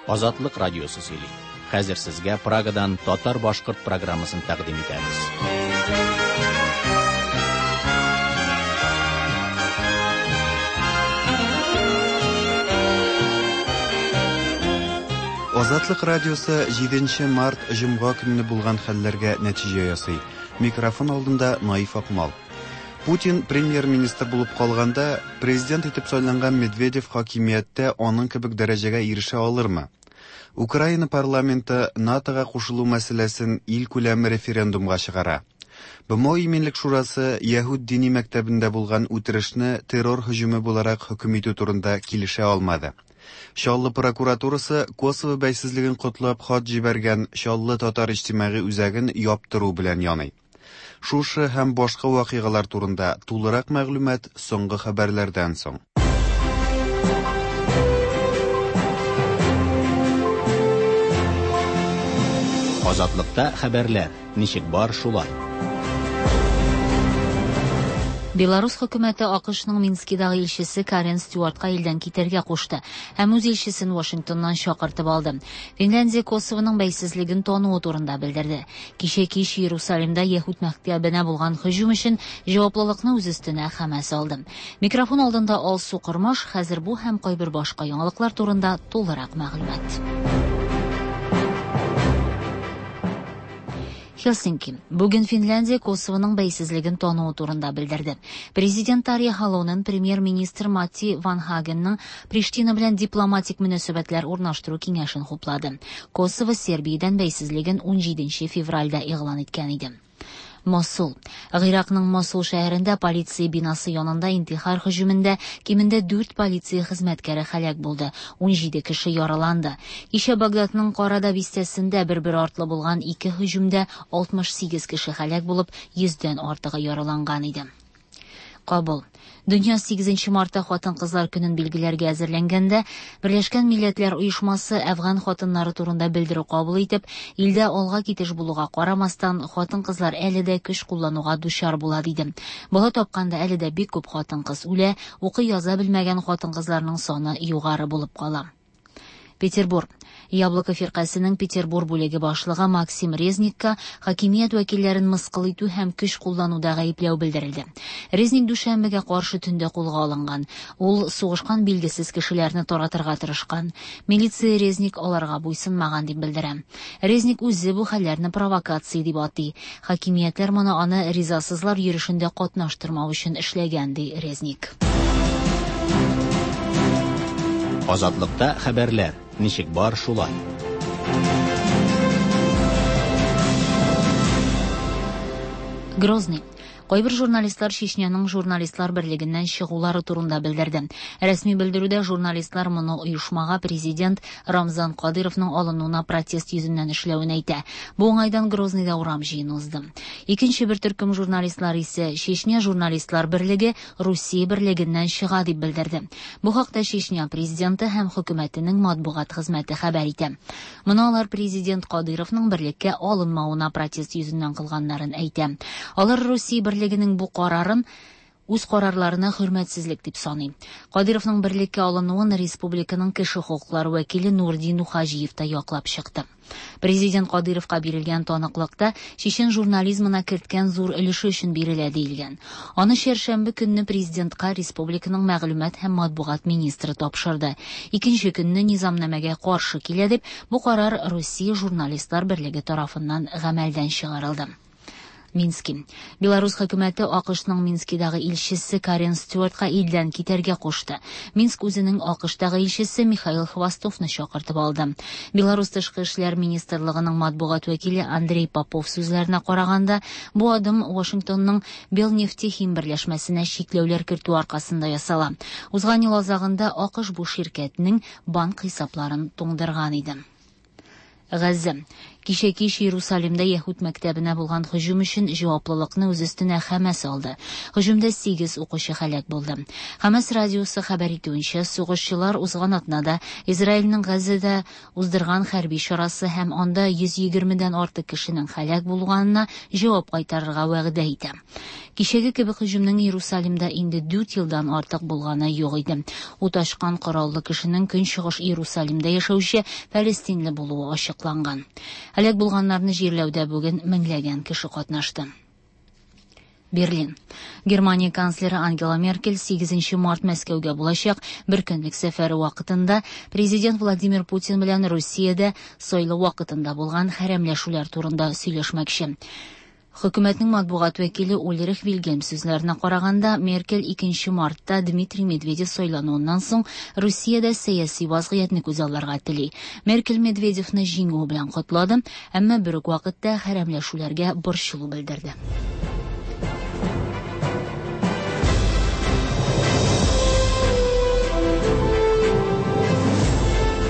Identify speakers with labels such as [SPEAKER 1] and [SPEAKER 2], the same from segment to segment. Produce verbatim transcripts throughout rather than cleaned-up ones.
[SPEAKER 1] Азатлык радиосы сөйли. Хәзер сезгә Прагадан татар-башкорт программасын тәкъдим итәбез.
[SPEAKER 2] Азатлык радиосы җиденче март җомга көнне булган хәлләргә нәтиҗә ясый. Микрофон алдында Наиф Акмал. Путин премьер-министр булып калганда, президент итеп сайланган Медведев хакимияттә аның кебек дәрәҗәгә ирешә алырмы? Украина парламенты НАТОга кушылу мәсьәләсен илкүләм референдумга чыгара. БМО Иминлек шурасы Яһүд дини мәктәбендә булган үтерешне террор һөҗүме буларак хөкем итү турында килешә алмады. Чаллы прокуратурасы Косово бәйсезлеген котлап хат җибәргән Чаллы татар иҗтимагый үзәген яптыру белән яный. Шушы һәм башка вакыйгалар турында тулырак мәгълүмат соңгы хәбәрләрдән соң.
[SPEAKER 1] Азатлыкта хәбәрләр ничек бар шулай.
[SPEAKER 3] Беларус хөкүмәте АКШның Минскидагы илчесе Карен Стюартка илдән китәргә кушты һәм үз илчесен Вашингтоннан чакыртып алды. Финляндия Косовоның бәйсезлеген тануы турында белдерде. Кичә кич Иерусалимда Яһүд мәктәбенә булган һөҗүм өчен җаваплылыкны үз өстенә Хәмәс алды. Микрофон алдында Алсу Кормаш, хәзер бу һәм кайбер башка яңалыклар турында тулырак мәгълүмат. Хелсинки. Бүген Финляндия Косовоның бәйсезлеген тануы турында белдерде. Президент Тарья Халонен премьер-министр Матти Ванхагенның Приштина белән дипломатик мөнәсәбәтләр урнаштыру киңәшен хуплады. Косово Сербиядән бәйсезлеген унҗиденче февральдә игълан иткән иде. Мосул. Гыйракның Мосул шәһәрендә полиция бинасы янында интихар һөҗүмендә кимендә дүрт полиция хезмәткәре һәлак булды, унҗиде кеше яраланды. Кичә Багдадның Карада бистәсендә бер-бер артлы булган ике һөҗүмдә алтмыш сигез кеше һәлак булып, йөздән артыгы яраланган иде. Кабул. Дөнья сигезенче мартта хатын-кызлар көнен билгеләргә әзерләнгәндә, Берләшкән Милләтләр Оешмасы Әфган хатыннары турында белдерү кабул итеп, илдә алга китеш булуга карамастан, хатын-кызлар әле дә көч куллануга дучар була диде. Бала тапканда әле дә бик күп хатын-кыз үлә, укый яза белмәгән хатын-кызларның саны югары булып кала. Петербург. Яблоко фиркасының Петербург бүлеге башлыгы Максим Резникка хакимият вәкилләрен мыскыл итү һәм көч куллануда гаепләү белдерелде. Резник дүшәмбегә каршы төндә кулга алынган. Ул сугышкан билгесез кешеләрне таратырга тырышкан. Милиция Резник аларга буйсынмаган дип белдерә. Резник үзе бу хәлләрне провокация дип атый. Хакимиятләр моны аны ризасызлар йөрешендә катнаштырмау өчен эшләгән, ди Резник.
[SPEAKER 1] Азатлыкта хәбәрләр ничек бар шулай.
[SPEAKER 3] Грозный. Кайбер журналистлар Чечняның журналистлар берлегеннән чыгулары турында белдерде. Рәсми белдерүдә журналистлар моны оешмага президент Рамзан Кадыровның алынуына протест йөзеннән эшләвен әйтә. Бу уңайдан Грозныйда урам җыены узды. Икенче бер төркем журналистлар исә Чечня журналистлар берлеге Русия берлегеннән чыга дип белдерде. Бу хакта Чечня президенты һәм хөкүмәтенең матбугат хезмәте хәбәр итә. Моны алар президент Кадыровның берлеккә алынмавына протест йөзеннән кылганнарын әйтә. Алар Русия берлегенең бу карарын үз карарларына хөрмәтсезлек дип саный. Кадыровның берлеккә алынуын республиканың кеше хокуклары вәкиле Нурдин Нухаҗиев та яклап чыкты. Президент Кадыровка бирелгән таныклыкта чечен журнализмына керткән зур өлеше өчен бирелә диелгән. Аны чәршәмбе көнне президентка республиканың мәгълүмат һәм матбугат министры тапшырды. Икенче көнне низамнамәгә каршы килә дип, бу карар Русия журналистлар берлеге тарафыннан гамәлдән чыгарылды. Мински. Беларус хөкүмәте АКШның Минскидагы илчесе Карен Стюартка илдән китәргә кушты. Минск үзенең АКШтагы илчесе Михаил Хвостовны чакыртып алды. Беларус тышкы эшләр министрлыгының матбугат вәкиле Андрей Попов сүзләренә караганда, бу адым Вашингтонның Белнефтехим берләшмәсенә чикләүләр кертү аркасында ясала. Узган ел азагында АКШ бу ширкәтнең банк хисапларын туңдырган иде. Газзә. Кичә кич Иерусалимда Яһүд мәктәбенә булган һөҗүм өчен җаваплылыкны үз өстенә Хәмәс алды. Һөҗүмдә сигез укучы һәлак булды. Хәмәс радиосы хәбәр итүенчә, сугышчылар узган атнада Израильнең Газада уздырган хәрби чарасы һәм анда йөз егермедән артык кешенең һәлак булганына җавап кайтарырга вәгъдә итә. Кичәге кебек һөҗүмнең Иерусалимда инде дүрт елдан артык булганы юк иде. Ут ачкан кораллы кешенең Көнчыгыш Иерусалимда яшәүче фәлестинле булуы ачыкланган. Һәлак булганнарны җирләүдә бүген меңләгән кеше катнашты. Берлин. Германия канцлеры Ангела Меркель сигезенче март Мәскәүгә булачак бер көнлек сәфәре вакытында президент Владимир Путин белән Русиядә сайлау вакытында булган хәрәмләшүләр турында сөйләшмәкче. Хөкүмәтнең матбугат вәкиле Ульрих Вильгельм сүзләренә караганда, Меркель икенче мартта Дмитрий Медведев сайлануыннан соң Русиядә сәяси вазгыятьне күзалларга тели. Меркель Медведевны җиңүе белән котлады, әмма бер үк вакытта хәрәмләшүләргә борчылу белдерде.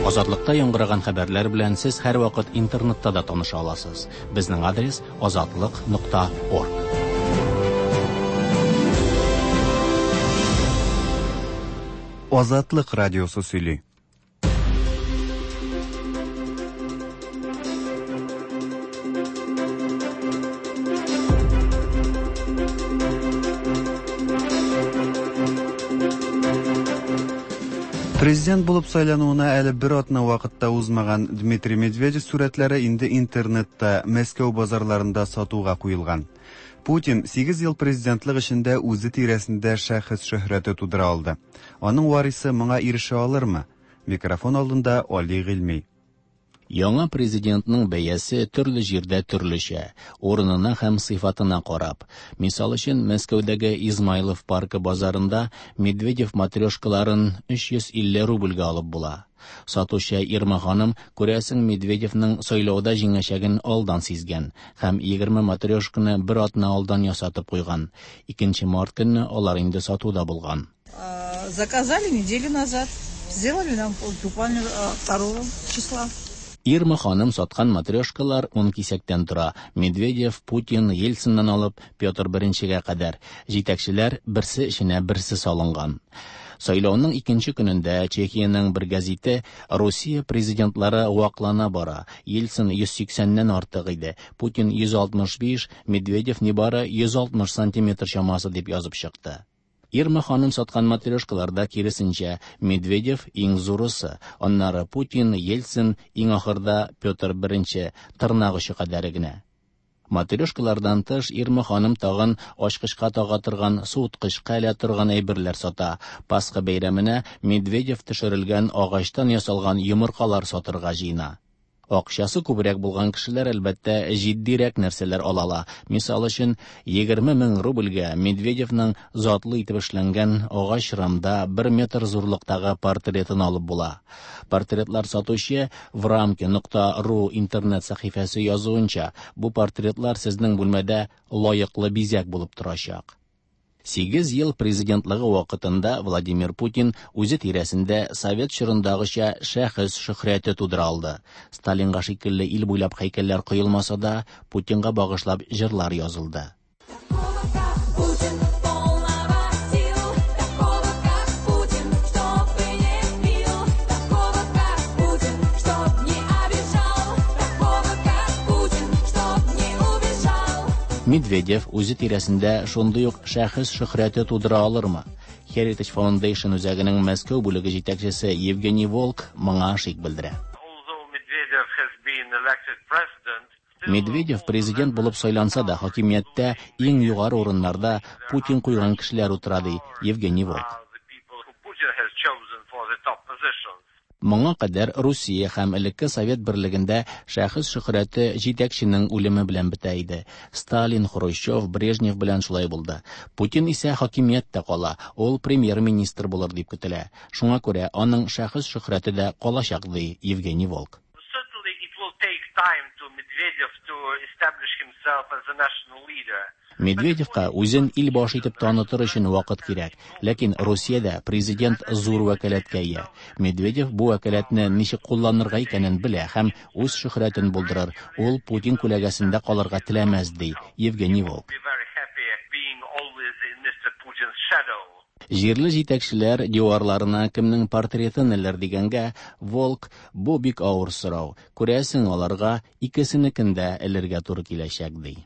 [SPEAKER 1] Азатлыкта яңгыраган хәбәрләр белән сез һәр вакыт интернетта да таныша аласыз. Безнең адрес азатлык нокта орг.
[SPEAKER 2] Азатлык радиосы сөйли. Президент булып сайлануына әле бер атна вакытта узмаган Дмитрий Медведев сурәтләре инде интернетта, Мәскәү базарларында сатуга куелган. Путин сигез ел президентлык эшендә үзе тирәсендә шәхес шөһрәте тудыра алды. Аның варисы моңа ирешә алырмы? Микрофон алдында Али Гыйльми.
[SPEAKER 1] Яңа президентның бәясе төрле җирдә төрлечә, урынына һәм сыйфатына карап. Мисал өчен, Мәскәүдәге Измайлов паркы базарында Медведев матрешкаларын өч йөз илле рубльгә алып була. Сатучы Ирма ханым, күрәсең, Медведевның сайлауда җиңәчәген алдан сизгән һәм егерме матрешканы бер атна алдан ясатып куйган. Икенче март көнне алар инде сатуда булган.
[SPEAKER 4] Заказали неделю назад, сделали нам буквально второго числа.
[SPEAKER 1] Ирма ханым саткан матрешкалар ун кисәктән тора. Медведев, Путин, Ельциннан алып Петр Беренчегә кадәр. Җитәкчеләр берсе эченә берсе салынган. Сайлауның икенче көнендә Чехиянең бер гәзите Русия президентлары ваклана бара. Ельцин йөз сиксәннән артык иде, Путин йөз алтмыш биш, Медведев нибары йөз алтмыш сантиметр чамасы дип язып чыкты. Ирма ханым саткан матрешкаларда киресенчә Медведев иң зурысы, аннары Путин, Ельцин, иң ахырда Петр Беренче, тырнак очы кадәре генә. Матрешкалардан тыш Ирма ханым тагын ачкычка тага торган, суыткычка элә торган әйберләр сата. Пасха бәйрәменә Медведев төшерелгән агачтан ясалган йомыркалар сатырга җыена. Акчасы күбрәк булган кешеләр әлбәттә җитдирәк нәрсәләр ала ала. Мисал өчен, егерме мең рубльгә Медведевның затлы итеп эшләнгән агач рамда бер метр зурлыктагы портретын алып була. Портретлар сатучы врамки нокта ру интернет сәхифәсе язуынча, бу портретлар сезнең бүлмәдә лаеклы бизәк булып торачак. Сигез ел президентлыгы вакытында Владимир Путин үзе тирәсендә совет чорындагыча шәхес шөһрәте тудыра алды. Сталинга шикелле ил буйлап һәйкәлләр куелмаса да, Путинга багышлап җырлар язылды. Медведев үзе тирәсендә шундый ук шәхес шөһрәте тудыра алырмы? Heritage Foundation үзәгенең Мәскәү бүлеге җитәкчесе Евгений Волк моңа шик белдерә. Медведев президент булып сайланса да, хакимияттә иң югары урыннарда Путин куйган кешеләр утыра, ди Евгений Волк. Моңа кадәр Русия һәм элекке Совет берлегендә шәхес шөһрәте җитәкченең үлеме белән бетә иде. Сталин, Хрущев, Брежнев белән шулай булды. Путин исә хакимияттә кала, ул премьер-министр булыр дип көтелә. Шуңа күрә аның шәхес шөһрәте дә калачак, ди Евгений Волк. Медведевка үзен ил башы итеп танытыр өчен вакыт кирәк, ләкин Русиядә президент зур вәкаләткә ия. Медведев бу вәкаләтне ничек кулланырга икәнен белә һәм үз шөһрәтен булдырыр. Ул Путин күләгәсендә калырга теләмәс, ди Евгений Волк. Җирле җитәкчеләр диварларына кемнең портретын элер дигәнгә, Волк: "Бу бик авыр сорау. Күрәсең, аларга икесенекен дә элергә туры киләчәк", ди.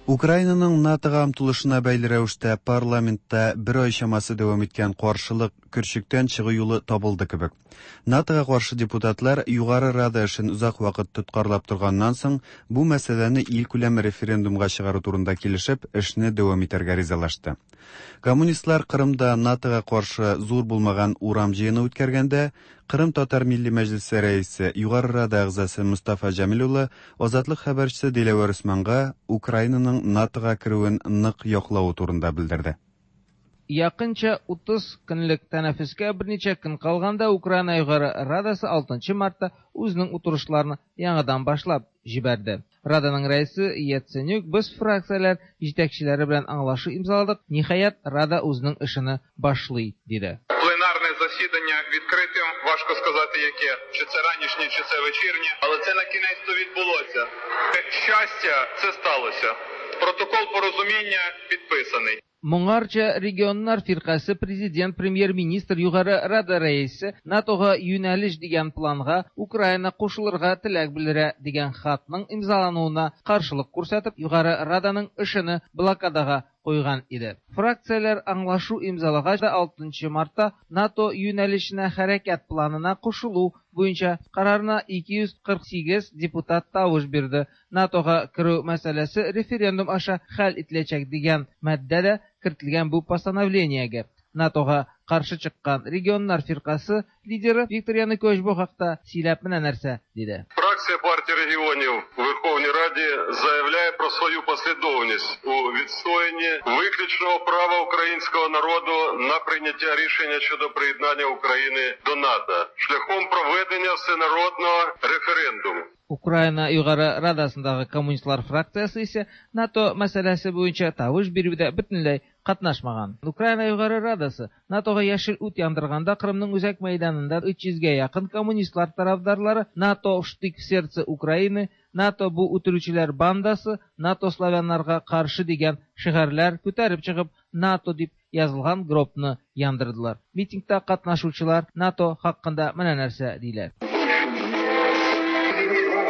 [SPEAKER 2] Украинаның НАТОга омтылышына бәйле рәвештә парламентта бер ай чамасы дәвам иткән каршылык көрчектән чыгу юлы табылды кебек. НАТОга каршы депутатлар Югары Рада эшен озак вакыт тоткарлап торганнан соң, бу мәсьәләне илкүләм референдумга чыгару турында килешеп, эшне дәвам итәргә ризалашты. Коммунистлар Кырымда НАТОга каршы зур булмаган урам җыены үткәргәндә, Кырым татар милли мәҗлесе рәисе, Югары Рада әгъзасы Мустафа Җәмил улы Азатлык хәбәрчесе Диләвәр Усманга Украинаның НАТОга керүен нык яклавы турында белдерде.
[SPEAKER 5] Якынча утыз көнлек тәнәфескә берничә көн калганда Украина Югары Радасы алтынчы мартта үзенең утырышларын яңадан башлап җибәрде. Раданың рәисе Яценюк: "Без фракцияләр җитәкчеләре белән аңлашу имзаладык, ниһаять Рада үзенең эшен башлый", диде.
[SPEAKER 6] Пленарне засідання відкритим, важко сказати яке, чи це ранішнє, чи це вечірнє, але це на кінець-то відбулося. Щастя, це сталося. Протокол порозуміння підписаний.
[SPEAKER 5] Моңарча регионнар фиркасе президент, премьер-министр, Югары Рада рәисе НАТОга юнәлеш дигән планга Украина кушылырга теләк белдерә дигән хатның имзалануына каршылык күрсәтеп, Югары Раданың эшен блокадага куйган иде. Фракцияләр аңлашу имзалагач да алтынчы мартта НАТО юнәлешенә хәрәкәт планына кушылу буенча карарына ике йөз кырык сигез депутат тавыш бирде. НАТОга керү мәсьәләсе референдум аша хәл ителәчәк дигән маддә дә кертелгән бу постановлениегә. НАТОга каршы чыккан регионнар фиркасы лидеры Виктор Янукович бу хакта сөйләп менә нәрсә диде.
[SPEAKER 6] Фракція партії регіонів у Верховній Раді заявляє про свою послідовність у відстоянні виключного права українського народу на прийняття рішення щодо приєднання України до НАТО шляхом проведення всенародного референдуму.
[SPEAKER 5] Украина Югары Радасындагы коммунистлар фракциясе исә НАТО мәсьәләсе буенча тавыш бирүдә бөтенләй катнашмаган. Украина Югары Радасы НАТОга яшел ут яндырганда Кырымның үзәк мәйданында өч йөзгә якын коммунистлар тарафдарлары НАТО штык в сердце Украины, НАТО бу үтерүчеләр бандасы, НАТО славяннарга каршы дигән шигарләр күтәреп чыгып, НАТО дип язылган гробны яндырдылар. Митингта катнашучылар НАТО хакында менә нәрсә диләр.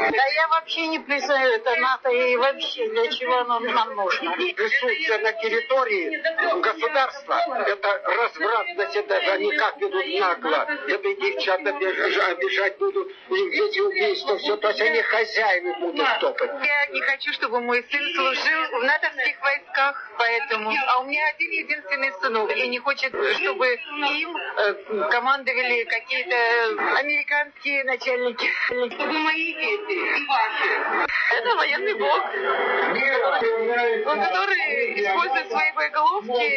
[SPEAKER 4] Да я вообще не признаю это НАТО и вообще для чего оно нам нужно.
[SPEAKER 7] Присутствие на территории государства – это развратность, это они как ведут нагло. Это и девчат обижать будут, и эти убийства, все, то есть они хозяевы будут топать.
[SPEAKER 8] Я не хочу, чтобы мой сын служил в натовских войсках, поэтому... А у меня один единственный сынок, и не хочет, чтобы им командовали какие-то американские начальники. Чтобы мои дети и ваши. Это военный блок, который использует свои боеголовки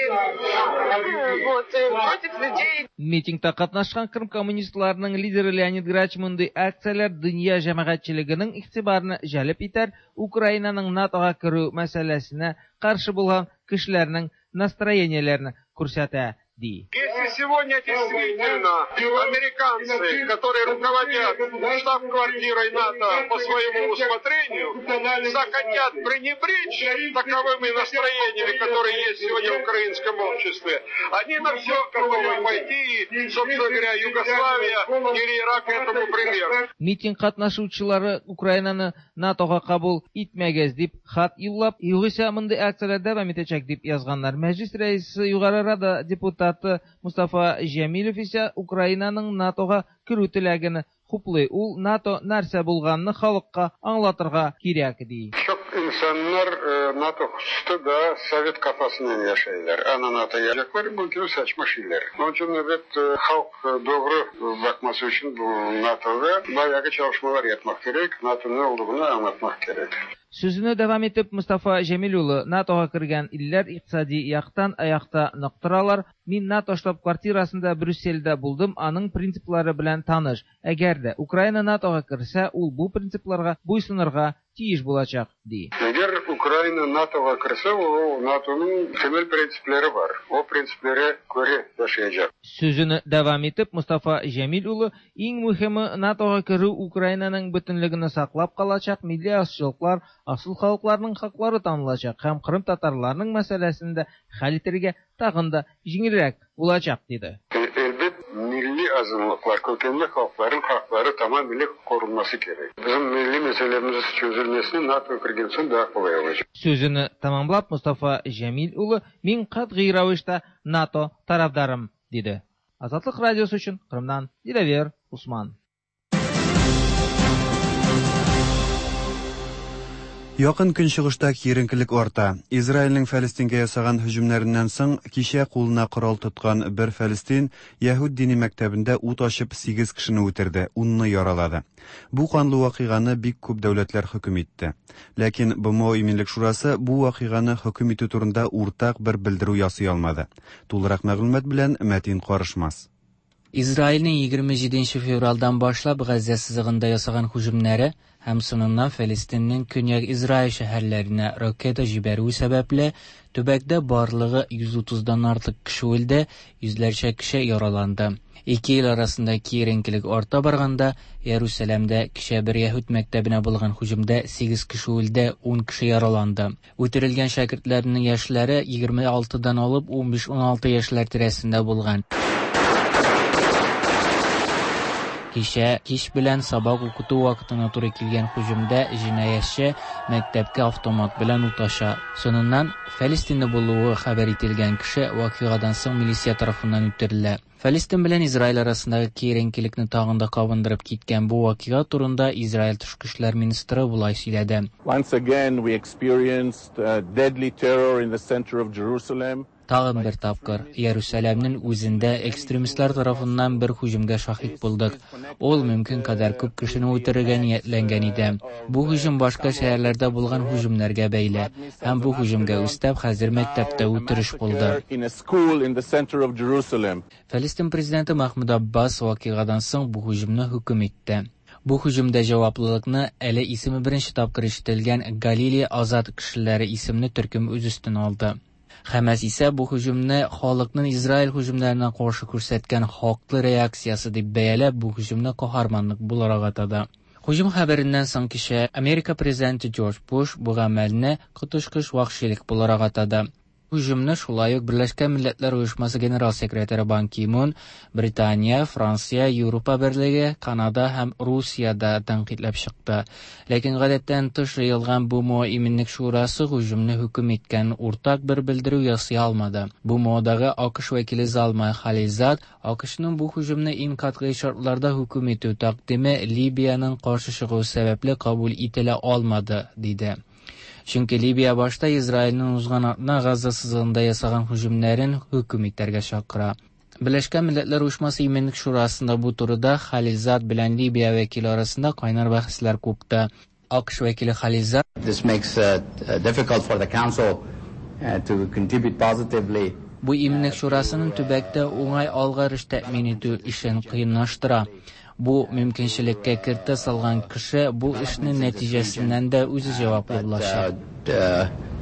[SPEAKER 8] вот, против людей.
[SPEAKER 5] Митингта катнашкан Крым коммунистларының лидеры Леонид Грач мондый акцияләр дөнья җәмәгатьчелегенең игътибарны җәлеп итәр, Украинаның НАТОга керү мәсьәләсенә каршы булган кешеләрнең настроениеләрен күрсәтә, ди.
[SPEAKER 6] Если сегодня действительно американцы, которые руководят штаб-квартирой НАТО по своему усмотрению, захотят пренебречь таковыми настроениями, которые есть сегодня в украинском обществе, они на все готовы пойти, и, собственно говоря, Югославия или Ирак этому пример.
[SPEAKER 5] Митинг катнашучылары Украинаны НАТОга кабул итмәгез дип хат юллап, югыйсә мондый акцияләр дәвам итәчәк дип язганнар. Мәҗлис рәисе Югары Рада депутаты Мустафа Җәмилев исә Украинаның НАТОга керү теләген хуплый. Ул НАТО нәрсә булганны халыкка аңлатырга кирәк ди.
[SPEAKER 6] Чтоб İnsanlar NATO hususta da Sovet kafasından yaşayırlar. Ana NATO gelecekler, bu gibi saçma şeyler. Onun için evet halk doğru bakması için bu NATO'da bayağı çalışmalar yapmak gerek. NATO'nun ne olduğunu anlatmak gerek.
[SPEAKER 5] Сүзене дәвам итеп, Мустафа Җәмил улы НАТОга кергән илләр икътисади яктан аякта нык торалар. Мин НАТО штаб-квартирасында Брюссельдә булдым, аның принциплары белән таныш. Әгәр дә Украина НАТОга керсә, ул бу принципларга буйсынырга тиеш булачак, ди.
[SPEAKER 6] Әгәр Украина НАТОга керсә, ул НАТОның темел принциплары бар. О принциплары күрә яшәячәк.
[SPEAKER 5] Сүзене дәвам итеп, Мустафа Җәмил улы иң мөһиме НАТОга керү Украинаның бөтенлеген саклап калачак, милли азчылыклар, асыл халыкларның хаклары танылачак һәм Кырым татарларының мәсьәләсен дә хәл итәргә тагын да җиңелрәк булачак, диде.
[SPEAKER 6] Elbet milli azınlıklar, kökenli halkların hakları tamamıyla korunması gerek. Bizim milli meselemiz çözülmesini NATO kirgen soң daha kolay olacak.
[SPEAKER 5] Сүзене тамамлап, Мустафа Җәмил улы мин катгый рәвештә НАТО тарафдарым, диде. Азатлык радиосы өчен Кырымнан Диләвер Усман.
[SPEAKER 2] Якын көнчыгышта киеренкелек арта. Израильнең Фәлестингә ясаган һөҗүмнәреннән соң кичә кулына корал тоткан бер фәлестин Яһүд дини мәктәбендә ут ачып сигез кешене үтерде, унны яралады. Бу канлы вакыйганы бик күп дәүләтләр хөкем итте. Ләкин БМО Иминлек шурасы бу вакыйганы хөкем итү турында уртак бер белдерү ясый алмады. Тулырак мәгълүмат белән Мәтин Карышмас.
[SPEAKER 9] Израильнең егерме җиденче февральдан башлап Газа сызыгында ясаган һөҗүмнәре һәм соңыннан Фәлестиннең көньяк Израиль шәһәрләренә ракета җибәрүе сәбәпле төбәктә барлыгы йөз утыздан артык кеше үлде, йөзләрчә кеше яраланды. Ике ил арасында киеренкелек арта барганда, Иерусалимдә кичә бер яһүд мәктәбенә булган һөҗүмдә сигез кеше үлде, ун кеше яраланды. Үтерелгән шәкертләрнең яшьләре егерме алтыдан алып унбиш-уналты яшьләр тирәсендә булган. Кичә кич белән сабак укыту вакытына туры килгән һөҗүмдә җинаятьче мәктәпкә автомат белән ут ача. Соңыннан Фәлестинле булуы хәбәр ителгән кеше вакыйгадан соң милиция тарафыннан үтерелә. Фәлестин белән Израиль арасындагы киеренкелекне тагын да кабындырып киткән бу вакыйга турында Израиль тышкы эшләр министры болай сөйләде.
[SPEAKER 10] Once again we experienced deadly terror in the center of Jerusalem.
[SPEAKER 9] Тагын бер тапкыр Иерусалимнең үзендә экстремистлар тарафыннан бер һөҗүмгә шаһит булдык. Ул мөмкин кадәр күп кешене үтерергә ниятләнгән иде. Бу һөҗүм башка шәһәрләрдә булган һөҗүмнәргә бәйле. Һәм бу һөҗүмгә өстәп хәзер мәктәптә үтереш булды. Фәлестин президенты Махмуд Аббас вакыйгадан соң бу һөҗүмне хөкем итте. Бу һөҗүмдә җаваплылыкны әле исеме беренче тапкыр ишетелгән Галилея азат кешеләре исемле төркем үз өстенә алды. Хәмәс исә бу һөҗүмне халыкның Израиль һөҗүмнәренә каршы күрсәткән хаклы реакциясе дип бәяләп, бу һөҗүмне каһарманлык буларак атады. Һөҗүм хәбәреннән соң кичә Америка президенты Джордж Буш бу гамәлне коточкыч вәхшилек буларак атады. Һөҗүмне шулай ук Берләшкән Милләтләр Оешмасы генерал секретаре Бан Ки Мун, Британия, Франция, Европа Берлеге, Канада һәм Русия да тәнкыйтьләп чыкты. Ләкин гадәттән тыш җыелган БМО Иминлек шурасы һөҗүмне хөкем иткән уртак бер белдерү ясый алмады. БМОдагы АКШ вәкиле Залмай Халилзад АКШның бу һөҗүмне иң катгый шартларда хөкем итү тәкъдиме Либияның каршы чыгуы сәбәпле кабул ителә алмады, диде. Чөнки Либия башта Израильнең узган атна Газа сызыгында ясаган һөҗүмнәрен хөкем итәргә чакыра. Берләшкән Милләтләр Оешмасы Иминлек шурасында бу турыда Халилзад белән Либия вәкиле арасында кайнар бәхәсләр купты. АКШ вәкиле Халилзад
[SPEAKER 11] This makes it difficult for the council to contribute positively.
[SPEAKER 9] Бу Иминлек шурасының төбәктә уңай алгарыш тәэмин итү эшен кыенлаштыра. Бу мөмкинчелеккә кертә салган кеше бу эшнең нәтиҗәсеннән дә үзе җаваплы булачак.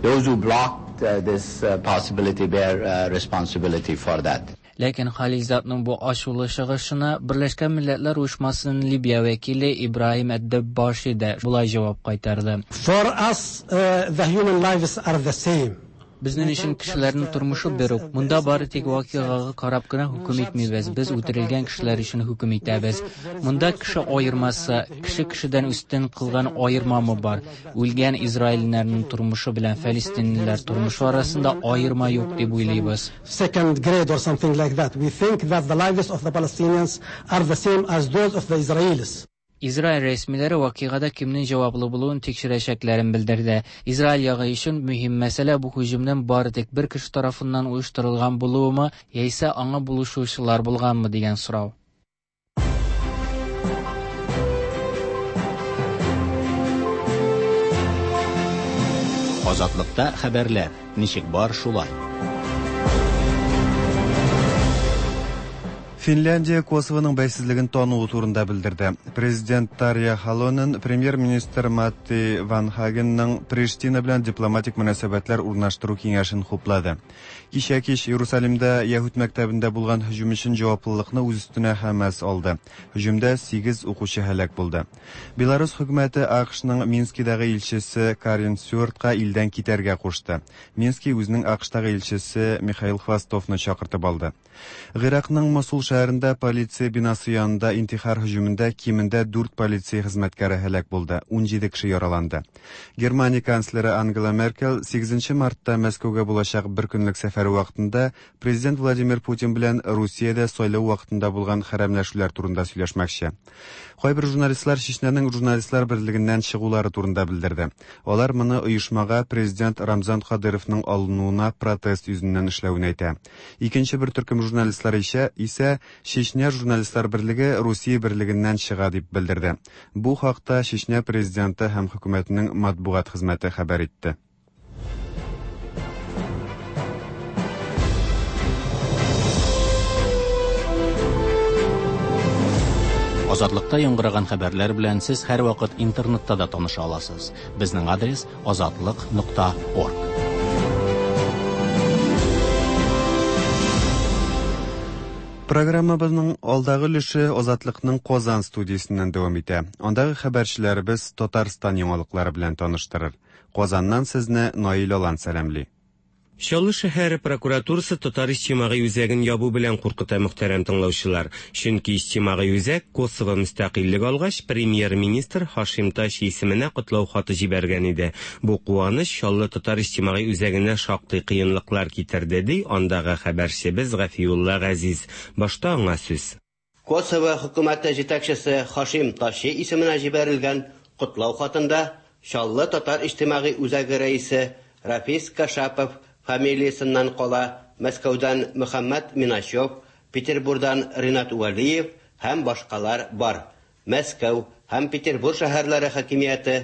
[SPEAKER 11] Those who blocked this possibility bear responsibility for that.
[SPEAKER 9] Ләкин Халилзадның бу ачулы чыгышына Берләшкән Милләтләр Оешмасының Либия вәкиле Ибраһим Әд-Дәббаши дә болай җавап кайтарды.
[SPEAKER 12] For us, the human lives are the same.
[SPEAKER 9] Безнең өчен кешеләрнең тормышы бер үк. Монда бары тик вакыйгага карап кына хөкем итмибез. Без үтерелгән кешеләр өчен хөкем итәбез. Монда кеше аермасы, кеше кешедән өстен кылган аермамы бар? Үлгән израильләрнең тормышы белән фәлестинлеләр тормышы арасында аерма юк дип уйлыйбыз.
[SPEAKER 12] Second grade or something like that. We think that the lives of the Palestinians are the same as those of the Israelis.
[SPEAKER 9] Израиль рәсмиләре вакыйгада кемнең җаваплы булуын тикшерәчәкләрен белдерде. Израиль ягы өчен мөһим мәсьәлә бу һөҗүмнең бары тик бер кеше тарафыннан оештырылган булуымы, яисә аңа булышучылар булганмы дигән сорау.
[SPEAKER 1] Азатлыкта хәбәрләр ничек бар шулай.
[SPEAKER 2] Финляндия Косовоның бәйсезлеген тануы турында белдерде. Президент Тарья Халонен премьер-министр Матти Ванхагенның Приштина белән дипломатик мөнәсәбәтләр урнаштыру киңәшен хуплады. Кичә кич Иерусалимда Яһүд мәктәбендә булган һөҗүм өчен җаваплылыкны үз өстенә Хәмәс алды. Һөҗүмдә сигез укучы һәлак булды. Беларус хөкүмәте АКШның Минскидагы илчесе Карен Стюартка илдән китәргә кушты. Мински үзенең АКШтагы илчесе Михаил Хвостовны чакыртып алды. Гыйракның Мосул шәһәрендә полиция бинасы янында интихар һөҗүмендә кимендә дүрт полиция хезмәткәре һәлак булды, ун җиде кеше яраланды. Германия канцлеры Ангела Меркель сигезенче мартта Мәскәүгә булачак бер көнлек сәфәре вакытында президент Владимир Путин белән Русиядә сайлау вакытында булган хәрәмләшүләр турында сөйләшмәкче. Кайбер журналистлар Чечняның журналистлар берлегеннән чыгулары турында белдерде. Алар моны оешмага президент Рамзан Кадыровның алынуына протест йөзеннән эшләвен әйтә. Икенче бер төркем журналистлар исә, исә Чечня журналистлар берлеге Русия берлегеннән чыга дип белдерде. Бу хакта Чечня президенты һәм хөкүмәтенең матбугат хезмәте хәбәр итте.
[SPEAKER 1] Азатлыкта яңгыраган хәбәрләр белән сез һәрвакыт интернетта да таныша аласыз. Безнең адрес азатлык нокта орг.
[SPEAKER 2] Программабызның алдагы өлеше Азатлыкның Казан студиясеннән дәвам итә. Андагы хәбәрчеләребез Татарстан яңалыклары белән таныштырыр. Казаннан сезне Наил Алан сәламли.
[SPEAKER 13] Чаллы шәһәре прокуратурасы татар иҗтимагый үзәген ябу белән куркыта, мөхтәрәм тыңлаучылар. Чөнки иҗтимагый үзәк Косово мөстәкыйльлек алгач, премьер-министр Хашим Таши исеменә котлау хаты җибәргән иде. Бу куаныч Чаллы татар иҗтимагый үзәгенә шактый кыенлыклар китерде, ди андагы хәбәрчебез Гафиулла Газиз. Башта аңа сүз.
[SPEAKER 14] Косово хөкүмәте җитәкчесе Хашим Таши исеменә җибәрелгән котлау хатында Чаллы татар иҗтимагый үзәге рәисе Рафис Кашапов фамилиясеннән кала Мәскәүдән Мөхәммәд Миначев, Петербургдан Ринат Вәлиев һәм башкалар бар. Мәскәү һәм Петербург шәһәрләре хакимияте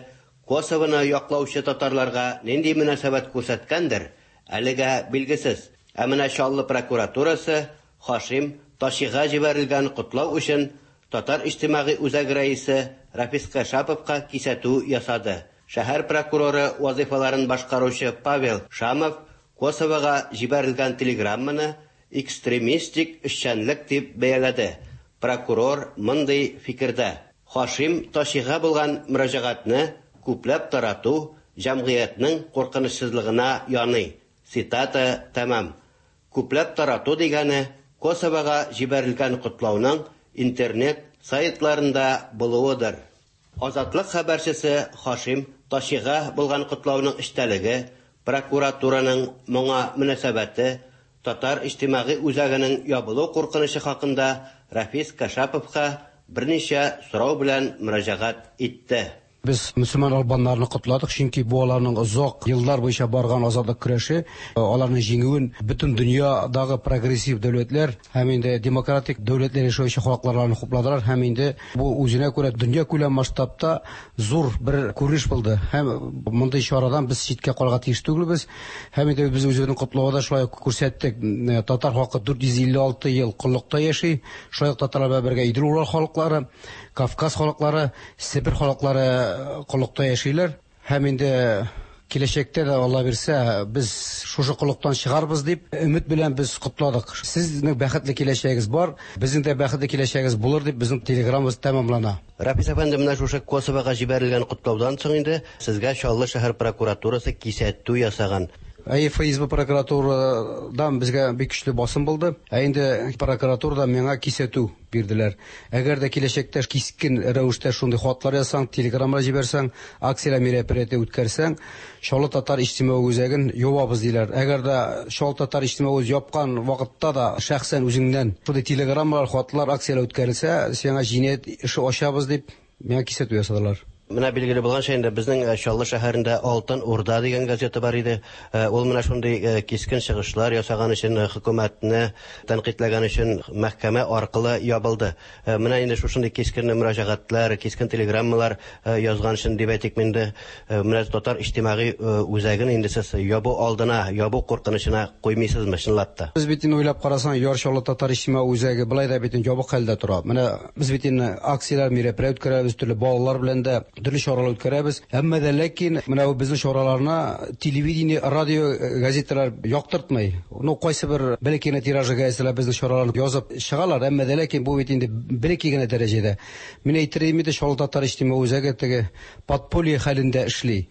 [SPEAKER 14] Косовоны яклаучы татарларга нинди мөнәсәбәт күрсәткәндер, әлегә билгесез. Ә менә Чаллы прокуратурасы Хашим Ташига җибәрелгән котлау өчен татар иҗтимагый үзәге рәисе Рафис Кашаповка кисәтү ясады. Шәһәр прокуроры вазифаларын башкаручы Павел Шамов Косовога җибәрелгән телеграмманы экстремистик эшчәнлек дип бәяләде. Прокурор мондый фикердә: Хашим Ташига булган мөрәҗәгатьне күпләп тарату җәмгыятьнең куркынычсызлыгына яный. Цитата тәмам. Күпләп тарату дигәне Косовога җибәрелгән котлауның интернет сайтларында булуыдыр. Азатлык хәбәрчесе Хашим Ташига булган котлауның эчтәлеге, прокуратураның моңа мөнәсәбәте, татар иҗтимагый үзәгенең ябылу куркынычы хакында Рафис Кашаповка берничә сорау белән мөрәҗәгать итте.
[SPEAKER 15] Без мөселман албаннарны котладык, чөнки бу аларның озак еллар буенча барган азатлык көрәше, аларның җиңүен бөтен дөньядагы прогрессив дәүләтләр һәм инде демократик дәүләтләр яшәүче халыкларны хупладылар һәм инде бу үзенә күрә дөнья күләм масштабта зур бер күренеш булды. Һәм мондый чарадан без читкә калырга тиеш түгелбез. Һәм инде без үзебезнең котлауда шулай ук күрсәттек. Татар халкы дүрт йөз илле алты ел коллыкта яши. Шулай ук татарлар белән бергә Идел-Урал халыклары, Кавказ халыклары, Себер халыклары коллыкта яшиләр. Һәм инде киләчәктә дә Алла бирсә, без шушы коллыктан чыгарбыз дип өмет белән без котладык. Сезнең бәхетле киләчәгегез бар, безнең дә бәхетле киләчәгегез булыр дип безнең телеграммабыз тәмамлана.
[SPEAKER 14] Рафис әфәнде, менә шушы Косовога җибәрелгән котлаудан соң инде сезгә Чаллы шәһәр прокуратурасы кисәтү ясаган.
[SPEAKER 15] Әй, Эф Эс Бэ прокуратурадан безгә бик көчле басым булды. Ә инде прокуратурада миңа кисәтү бирделәр. Әгәр дә киләчәктә кискен рәвештә шундый хатлар язсаң, телеграммалар җибәрсәң, акцияләр мероприятие үткәрсәң, Чаллы татар иҗтимагый үзәген ябабыз диләр. Әгәр дә Чаллы татар иҗтимагый үзәген япкан вакытта да шәхсән үзеңнән шундый телеграммалар, хатлар, акцияләр үткәрелсә, сиңа җинаять эше ачабыз дип Миңа кисәтү ясадылар.
[SPEAKER 14] Менә билгеле булганча инде безнең Чаллы шәһәрендә Алтын Урда дигән газета бар иде. Ул менә шундый кискен чыгышлар ясаган өчен, хөкүмәтне тәнкыйтьләгән өчен мәхкәмә аркылы ябылды. Менә инде шушындый кискен мөрәҗәгатьләр, кискен телеграммалар язган өчен дип әйтик инде, менә татар иҗтимагый үзәген инде сез ябу алдына, ябу куркынычына куймыйсызмы чынлап та?
[SPEAKER 15] Без бит инде уйлап карасаң, Яр Чаллы татар иҗтимагый үзәге былай да бит инде ябык хәлдә тора. Менә без бит инде акцияләр, мероприятие үткәрәбез, төрле балалар белән дә төрле чаралар үткәрәбез. Әмма дә ләкин менә бу безнең чараларны телевидение, радио, газеталар яктыртмый. Ну, кайсы бер бәләкәй генә тиражы газеталар безнең чараларны язып чыгалар, әмма дә ләкин бу бит инде бәләкәй генә дәрәҗәдә. Мин әйтер идем инде, Чаллы татар иҗтимагый үзәге теге подполье хәлендә эшли.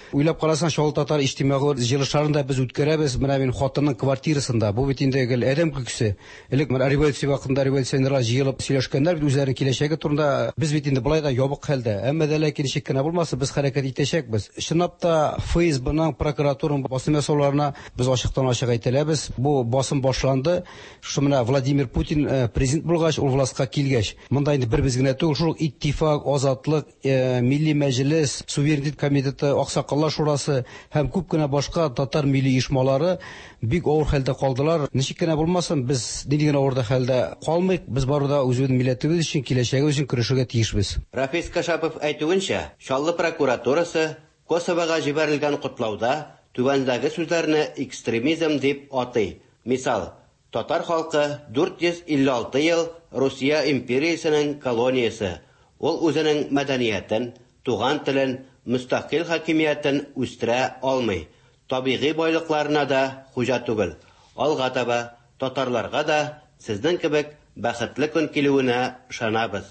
[SPEAKER 15] Уйлап карасаң, Чаллы татар иҗтимагый җыелышларын да без үткәрәбез. Менә мин хатынның квартирасында. Бу бит инде гел адәм көлкесе. Элек менә революция вакытында революционерлар җыелып сөйләшкәннәр бит үзләренең киләчәге турында. Без бит инде былай да ябык хәлдә. Әмма дә ләкин ничек кенә булмасын, без хәрәкәт итәчәкбез. Чынлап та эф эс бның, прокуратураның басым ясауларына без ачыктан-ачык әйтәләбез. Бу басым башланды. Шушы менә Владимир Путин президент булгач, ул властька килгәч, монда инде бер без генә түгел, шул иттифак, азатлык, милли мәҗлес, суверенитет комитеты, аксакал Шурасы һәм күп кенә башка татар милли оешмалары бик авыр хәлдә калдылар. Ничек кенә булмасын, без нинди генә авыр хәлдә калмыйк, без барыбер да үзебезнең милләтебез өчен, киләчәгебез өчен көрәшергә тиешбез.
[SPEAKER 14] Рафис Кашапов әйтүенчә, Чаллы прокуратурасы Косовога җибәрелгән котлауда түбәндәге сүзләрне экстремизм дип атый. Мисал, татар халкы дүрт йөз илле алты ел Русия империясенең колониясе. Ул үзенең мәдәниятен, туган телен, мөстәкыйль хакимиятен үстерә алмый. Табигый байлыкларына да хуҗа түгел. Алга таба татарларга да сезнең кебек бәхетле көн килүенә ышанабыз.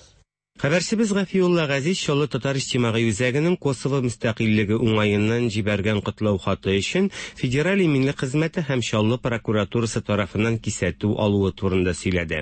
[SPEAKER 13] Хәбәрчебез Гафиулла Газиз Чаллы татар иҗтимагый үзәгенең Косово мөстәкыйльлеге уңаеннан җибәргән котлау хаты өчен Федераль иминлек хезмәте һәм Чаллы прокуратурасы тарафыннан кисәтү алуы турында сөйләде.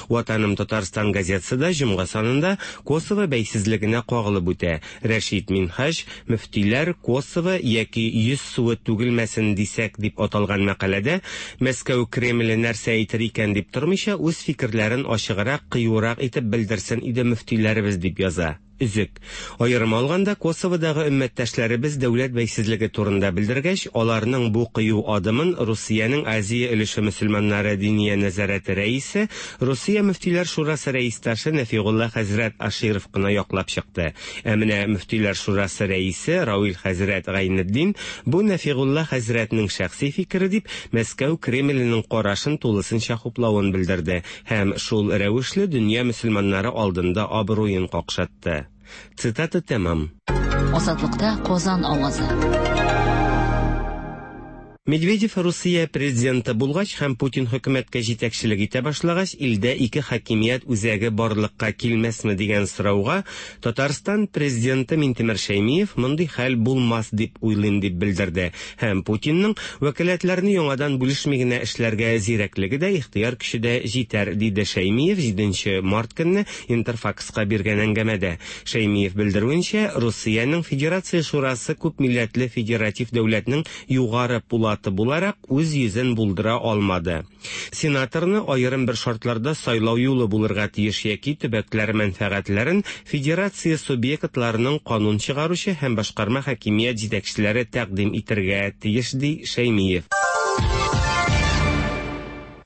[SPEAKER 13] Ватаным Татарстан газетасы да җомга санында Косово бәйсезлегенә кагылып үтә. Рәшид Минһаҗ мөфтиләр Косово яки йөз суы түгелмәсен дисәк дип аталган мәкаләдә Мәскәү Кремле нәрсә әйтер икән дип тормыйча үз фикерләрен ачыграк, кыюрак итеп белдерсен иде мөфти дип яза. Өзек. Аерым алганда Косоводагы өммәттәшләребез дәүләт бәйсезлеге турында белдергәч, аларның бу кыю адымын Русиянең Азия өлеше мөселманнары диния нәзарәте рәисе, Русия мөфтиләр шурасы рәисташы Нәфигулла хәзрәт Аширов кына яклап чыкты. Ә менә мөфтиләр шурасы рәисе Равил хәзрәт Гайнетдин бу Нәфигулла хәзрәтнең шәхси фикере дип Мәскәү Кремленең карашын тулысынча хуплавын белдерде һәм шул рәвешле дөнья мөселманнары алдында абруен какшатты. Цитата тәмам.
[SPEAKER 3] Азатлыкта Казан авазы.
[SPEAKER 13] Медведев Русия президенты булгач һәм Путин хөкүмәткә җитәкчелек итә башлагач, илдә ике хакимият үзәге барлыкка килмәсме дигән сорауга Татарстан президенты Минтимер Шәймиев мондый хәл булмас дип уйлыйм дип белдерде. Һәм Путинның вәкаләтләрне яңадан бүлешми генә эшләргә зирәклеге дә, ихтыяр көче дә җитәр, диде Шәймиев җиденче март көнне Интерфакска биргән әңгәмәдә. Шәймиев белдерүенчә, Русиянең Федерация Шурасы күп милләтле федератив дәүләтнең югары пулаты буларак үз йөзен булдыра алмады. Сенаторны аерым бер шартларда сайлау юлы булырга тиеш яки төбәкләр мәнфәгатьләрен федерация субъектларының канун чыгаручы һәм башкарма хакимият җитәкчеләре тәкъдим итәргә тиеш, ди Шәймиев.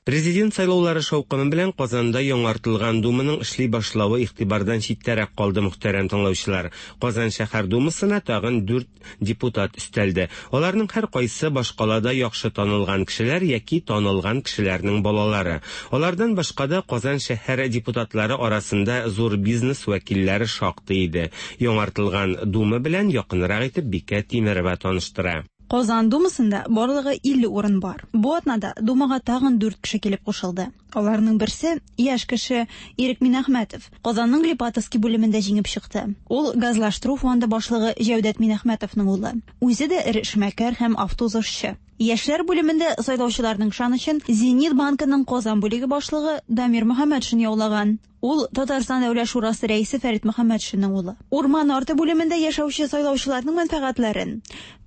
[SPEAKER 13] Президент сайлаулары шаукымы белән Казанда яңартылган Думаның эшли башлавы игътибардан читтәрәк калды, мөхтәрәм тыңлаучылар. Казан шәһәр Думасына тагын дүрт депутат өстәлде. Аларның һәр кайсы башкалада яхшы танылган кешеләр яки танылган кешеләрнең балалары. Алардан башка да Казан шәһәр депутатлары арасында зур бизнес вәкилләре шактый иде. Яңартылган Дума белән якынрак итеп Бикә Тимерова таныштыра.
[SPEAKER 16] Казан Думасында барлыгы илле урын бар. Бу атнада Думага тагын дүрт кеше килеп кушылды. Аларның берсе яшь кеше Ирек Минәхмәтов. Казанның Липатовский бүлемендә җиңеп чыкты. Ул газлаштыру фонды башлыгы Җәүдәт Минәхмәтовның улы. Үзе дә эре эшмәкәр һәм автоузышчы. Яшьләр бүлемендә сайлаучыларның ышанычын Зенит банкының Казан бүлеге башлыгы Дамир Мөхәммәтшин яулаган. Ул Татарстан Дәүләт Шурасы рәисе Фәрит Мөхәммәтшинның улы. Урман арты бүлемендә яшәүче сайлаучыларның мәнфәгатьләрен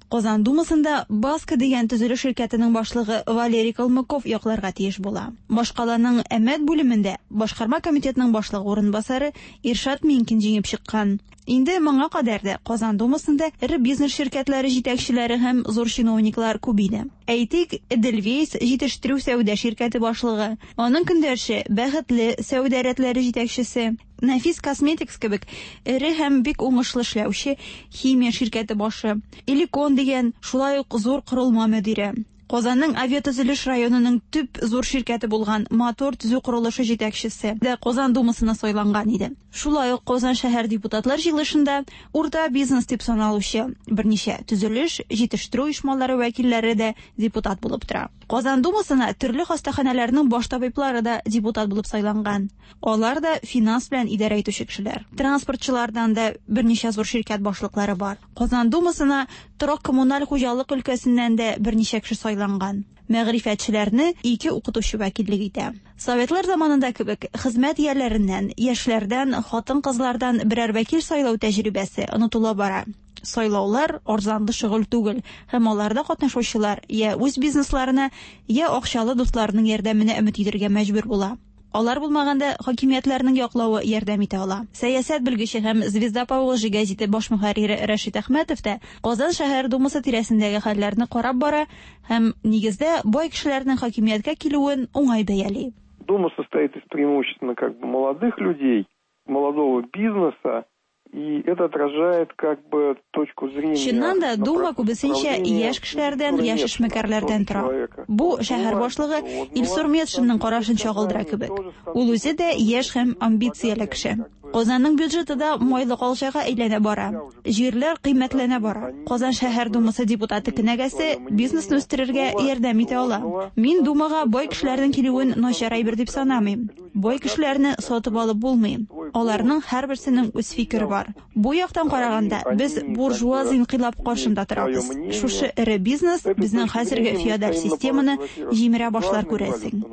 [SPEAKER 16] Казан Думасында Баска дигән төзелеш ширкәтенең башлыгы Валерий Калмыков якларга тиеш була. Башкаланың Әмәт бүлемендә башкарма комитетның башлыгы урынбасары Иршат Минкин җиңеп чыккан. Инде моңа кадәр дә Казан Думасында эре бизнес ширкәтләре җитәкчеләре һәм зур чиновниклар күп иде. Әйтик, Эдельвейс җитештерү сәүдә ширкәте башлыгы, аның көндәше Бәхетле сәүдә рәтләре җитәкчесе, Нәфис Косметикс кебек эре һәм бик уңышлы эшләүче химия ширкәте башы, Эликон дигән шулай ук зур корылма мөдире, Казанның авиатөзелеш районының төп зур ширкәте булган Мотор төзү корылышы җитәкчесе дә Казан Думасына сайланган иде. Шулай ук Казан шәһәр депутатлар җыелышында урта бизнес дип саналучы берничә төзелеш, җитештерү оешмалары вәкилләре дә депутат булып тора. Казан Думасына төрле хастаханәләрнең баш табиблары да депутат булып сайланган. Алар да финанс белән идарә итүче кешеләр. Транспортчылардан да берничә зур ширкәт башлыклары бар. Казан Думасына торак коммуналь хуҗалык өлкәсеннән дә берничә кеше сайланган. Мәгърифәтчеләрне ике укытучы вәкиллек итә. Советлар заманында кебек хезмәт ияләреннән, яшьләрдән, хатын-кызлардан берәр вәкил сайлау тәҗрибәсе онытыла бара. Сайлаулар арзанлы шөгыль түгел, һәм аларда катнашучылар я үз бизнесларына, я акчалы дусларының ярдәменә өмет итәргә мәҗбүр була. Алар булмаганда хакимиятләрнең яклавы ярдәм итә ала. Сәясәт белгече һәм Звезда Поволжья гәзите баш мөхәррире Рәшит Әхмәтов та Казан шәһәр думасы тирәсендәге хәлләрне карап бара һәм нигездә бай кешеләрнең хакимияткә килүен уңай бәяли.
[SPEAKER 17] Дума состоит из преимущественно как бы молодых людей, молодого бизнеса. И это отражает как бы точку зрения.
[SPEAKER 16] Чыннан да Дума күбесенчә яшь кешеләрдән, яшь эшмәкәрләрдән тора. Бу шәһәр башлыгы Илсур Метшинның карашын чагылдыра кебек. Ул үзе дә яшь һәм амбицияле кеше. Казанның бюджеты да майлы калчага әйләнә бара. Җирләр кыйммәтләнә бара. Казан шәһәр думасы депутаты кенәгәсе бизнесны үстерергә ярдәм итә ала. Мин Думага бай кешеләрнең килүен начар әйбер дип санамыйм. Бай кешеләрне сатып алып булмый. Аларның һәрберсенең үз фикере бар. Бу яктан караганда без буржуаз инкыйлаб каршында торабыз. Шушы эре бизнес безнең хәзерге феодаль системаны җимерә башлар күрәсең.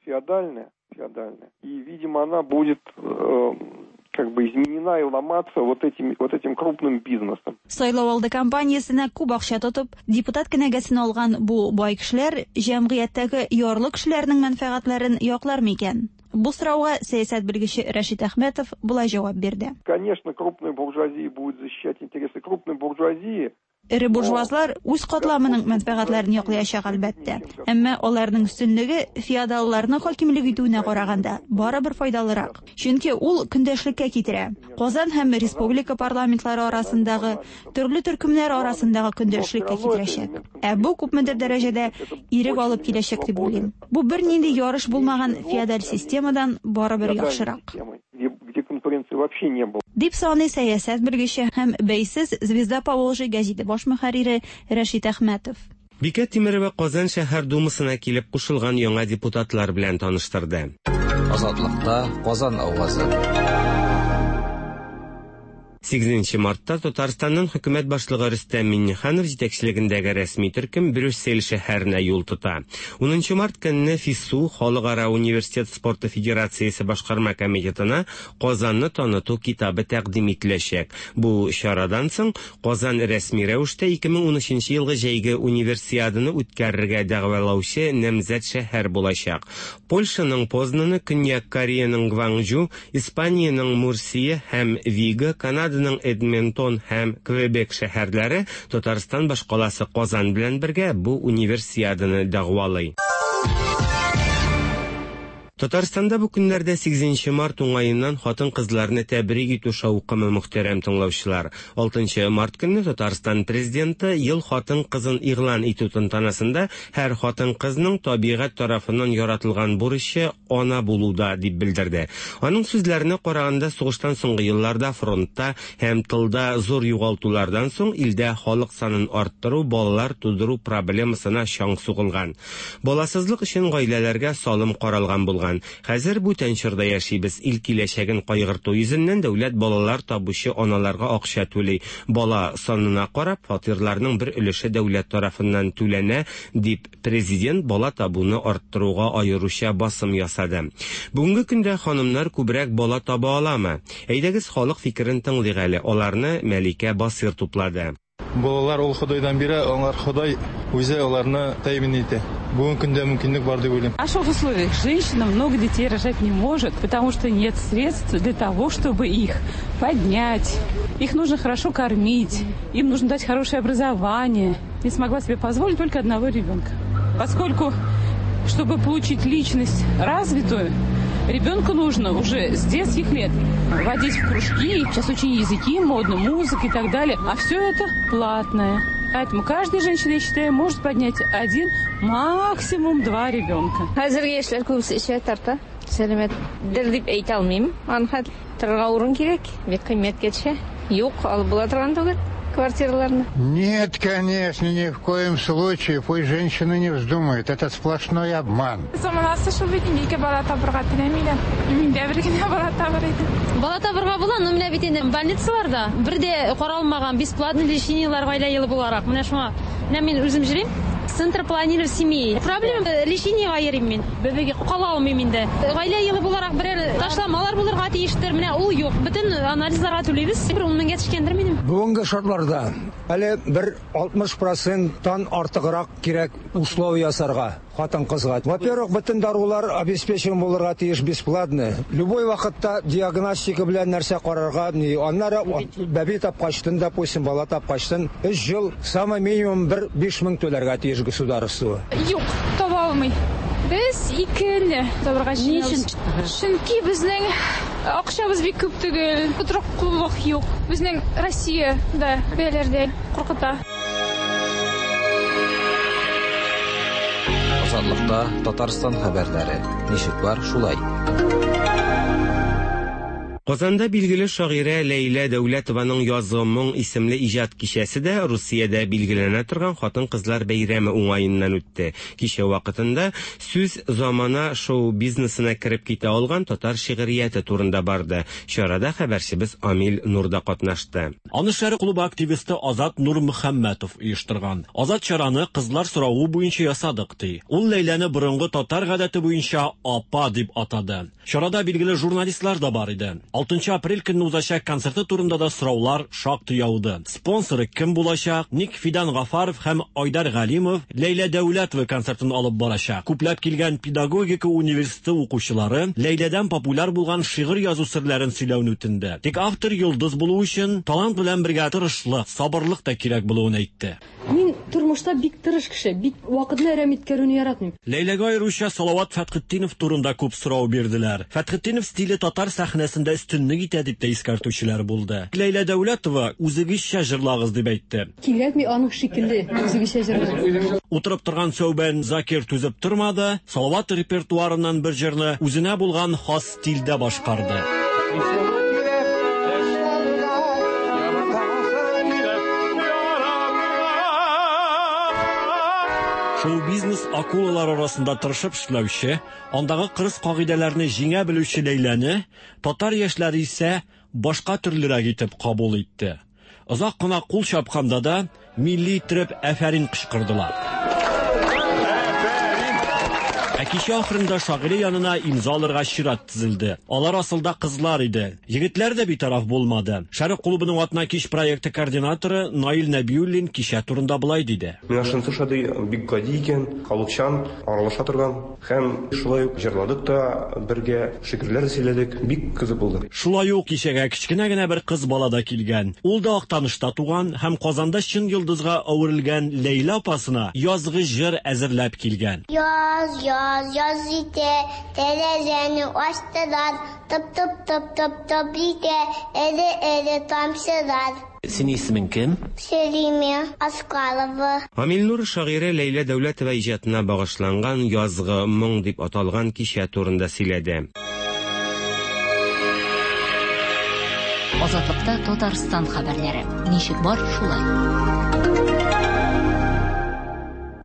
[SPEAKER 17] Феодальная. И, видимо, она будет э, как бы изменена и ломаться вот этим, вот этим крупным бизнесом.
[SPEAKER 16] Сайлау алды кампаниясенә күп акча тотып, депутат кенәгәсен алган бу бай кешеләр җәмгыятьтәге ярлы кешеләрнең мәнфәгатьләрен яклар микән? Бу сорауга сәясәт белгече Рәшит Әхмәтов болай җавап бирде.
[SPEAKER 17] Конечно, крупная буржуазия будет защищать интересы крупной буржуазии.
[SPEAKER 16] Эре буржуазлар үз катламының мәнфәгатьләрен яклаячак әлбәттә. Әмма аларның өстенлеге феодалларның хакимлек итүенә караганда барыбер файдалырак. Чөнки ул көндәшлеккә китерә. Казан һәм республика парламентлары арасындагы төрле төркемнәр арасындагы көндәшлеккә китерәчәк. Ә бу күпмедер дәрәҗәдә ирек алып киләчәк дип уйлыйм. Бу бернинди ярыш булмаган феодаль системадан барыбер яхшырак.
[SPEAKER 17] Где конкуренции вообще не было.
[SPEAKER 16] Дип саный сәясәт белгече һәм бәйсез Звезда Поволжья гәзите баш мөхәррире Рәшит Әхмәтов.
[SPEAKER 13] Бикә Тимерова Казан шәһәр думасына килеп кушылган яңа депутатлар белән таныштырды.
[SPEAKER 18] Азатлыкта Казан авазы.
[SPEAKER 13] Сигезенче мартта Татарстанның хөкүмәт башлыгы Рөстәм Миңнеханов җитәкчелегендәге рәсми төркем Брюссель шәһәренә юл тота. Унынчы март көнне ФИСУ Халыкара университет спорты федерациясе башкарма комитетына Казанны таныту китабы тәкъдим ителәчәк. Бу чарадан соң Казан рәсми рәвештә ике мең унөченче елгы җәйге универсиаданы үткәрергә дәгъвалаучы намзәт шәһәр булачак. Польшаның Познаны, Көньяк Кореяның Гванчжу, Испаниянең Мурсия һәм Вига, Канада Эдмонтон һәм Квебек шәһәрләре Татарстан башкаласы Казан белән бергә бу универсиаданы дәгъвалый. Татарстанда бу көннәрдә сигезенче март уңаеннан хатын-кызларны тәбрик итү шаукымы, мөхтәрәм тыңлаучылар. Алтынчы март көнне Татарстан президенты ел хатын-кызын игълан итү тантанасында һәр хатын-кызның табигать тарафыннан яратылган бурычы ана булуда дип белдерде. Аның сүзләренә караганда, сугыштан соңгы елларда фронтта һәм тылда зур югалтулардан соң илдә халык санын арттыру, балалар тудыру проблемасына чаң сугылган. Баласызлык өчен гаиләләргә салым каралган булган. Хәзер бүтән чорда яшибез. Ил киләчәген кайгырту йөзеннән дәүләт балалар табучы аналарга акча түли. Бала санына карап, фатирларның бер өлеше дәүләт тарафыннан түләнә, дип президент бала табуны арттыруга аеруча басым ясады. Бүгенге көндә ханымнар күбрәк бала таба аламы? Әйдәгез халык фикерен тыңлыйк әле. Аларны Мәликә Басир туплады.
[SPEAKER 19] Балалар ул Ходайдан бирә, аңар Ходай үзе аларны тәэмин итә. Бүгенге көндә мөмкинлек бар дип уйлыйм.
[SPEAKER 20] А что в условиях? Женщина много детей рожать не может, потому что нет средств для того, чтобы их поднять. Их нужно хорошо кормить, им нужно дать хорошее образование. Не смогла себе позволить только одного ребенка. Поскольку, чтобы получить личность развитую, ребенку нужно уже с детских лет водить в кружки. Сейчас очень языки модно, музыка и так далее. А все это платное. Поэтому каждая женщина, я считаю, может поднять один, максимум два ребенка.
[SPEAKER 21] Хәзерге яшьләр күбесе эчә, тарта. Сәламәтдер дип әйтә алмыйм. Аны торырга урын кирәк, бик кыйммәткә төшә. Юк, алып була торган түгел квартираларны.
[SPEAKER 22] Нет, конечно, ни в коем случае. Пусть женщина не вздумает. Это сплошной обман.
[SPEAKER 23] Заманасы шул бит инде, ике бала табырга теләмиләр. Мин дә бер генә бала табыр идем.
[SPEAKER 24] Бала табырга була, но менә бит инде больницаларда бер дә каралмаган бесплатный лечениелар гаилә елы буларак. Менә шуңа, менә мин үзем йөрим. Центр планирования семьи. Проблема лечениега йөрим мин. Бәбәгә кала алмыйм инде. Гаилә елы буларак берәр ташламалар булырга тиештер. Менә ул юк. Бөтен анализларга түлибез. Бер ун меңгә төшкәндер минем.
[SPEAKER 25] Бүгенге шартларда әле бер алтмыш проценттан артыграк кирәк условия ясарга хатын-кызга. Во-первых, бөтен дарулар обеспечен булырга тиеш бесплатно. Любой вакытта диагностика белән нәрсә карарга, аннары бәби тапкачтын, допустим, бала тапкачтын, өч ел самый минимум бер биш мең түләргә тиеш государство.
[SPEAKER 23] Юк, таба алмый. Без икене табырга җыенабыз. Чөнки безнең акчабыз бик күп түгел, тотрыклылык юк. Безнең Россиядә бәяләрдә куркыта.
[SPEAKER 18] Азатлыкта Татарстан хәбәрләре. Ничек бар, шулай.
[SPEAKER 13] Казанда билгеле шагыйрә Ләйлә Дәүләтованың Язгы моң исемле иҗат кичәсе дә Русиядә билгеләнә торган хатын-кызлар бәйрәме уңаеннан үтте. Кичә вакытында сүз замана шоу-бизнесына кереп китә алган татар шигърияте турында барды. Чарада хәбәрчебез Амил Нур да катнашты.
[SPEAKER 26] Аны Шәрык клубы активисты Азат Нурмөхәммәтов оештырган. Азат чараны кызлар соравы буенча ясадык ди. Ул Ләйләне борынгы татар гадәте буенча апа дип атады. Чарада билгеле журналистлар да бар иде. алтынчы апрель көнне узачак концерты турында да сораулар шактый яуды. Спонсоры кем булачак? Ник Фидан Гафаров һәм Айдар Галимов Ләйлә Дәүләтова концертын алып барачак. Күпләп килгән педагогика университеты укучылары Ләйләдән популяр булган шигырь язу серләрен сөйләүне үтенде. Тик автор йолдыз булу өчен талант белән бергә тырышлык, сабырлык та кирәк булуын әйтте.
[SPEAKER 27] Мин тормышта бик тырыш кеше, бик вакытны әрәм иткәрүне яратмыйм.
[SPEAKER 26] Ләйләгә аеруча Салават Фәтхетдинов турында күп сорау бирделәр. Фәтхетдинов стиле татар сәхнәсендә өстенлек итә дип тә искәртүчеләр булды. Ләйлә Дәүләтова үзегезчә җырлагыз дип әйтте.
[SPEAKER 27] Кирәкми аның шикелле үзегезчә җырлагыз.
[SPEAKER 26] Утырып торган Сәүбән Закир түзеп тормады, Салават репертуарыннан бер җырны үзенә булган хас стильдә башкарды. Шоу-бизнес акулалар арасында тырышып эшләүче, андагы кырыс кагыйдәләрне җиңә белүче Ләйләне татар яшьләре исә башка төрлерәк итеп кабул итте. Озак кына кул чапканда да милли итеп әфәрин кычкырдылар. Ә кичә ахырында шагыйрә янына имза алырга чират тезелде. Алар асылда кызлар иде. Егетләр дә битараф булмады. Шәрык клубының Атна кич проекты координаторы Наил Нәбиуллин кичә турында былай диде.
[SPEAKER 28] Миңа шунысы ошады, бик гади икән, халыкчан, аралаша торган һәм шулай ук җырладык та бергә, шигырьләр сөйләдек, бик кызык булды.
[SPEAKER 26] Шулай ук кичәгә кечкенә генә бер кыз бала да килгән. Ул да Актанышта туган һәм Казанда чын йолдызга әверелгән Ләйлә апасына язгы җыр әзерләп килгән.
[SPEAKER 29] Яз, яз, яз итә, тәрәзәне ачтылар, тып-тып-тып-тып-тып итә, эре-эре тамчылар.
[SPEAKER 26] Синең исемең кем?
[SPEAKER 29] Сәлимә Аскалова.
[SPEAKER 13] Амил Нур шагыйрә Ләйлә Дәүләтова иҗатына багышланган Язгы моң дип аталган кичә турында сөйләде.
[SPEAKER 3] Азатлыкта Татарстан хәбәрләре. Ничек бар, шулай.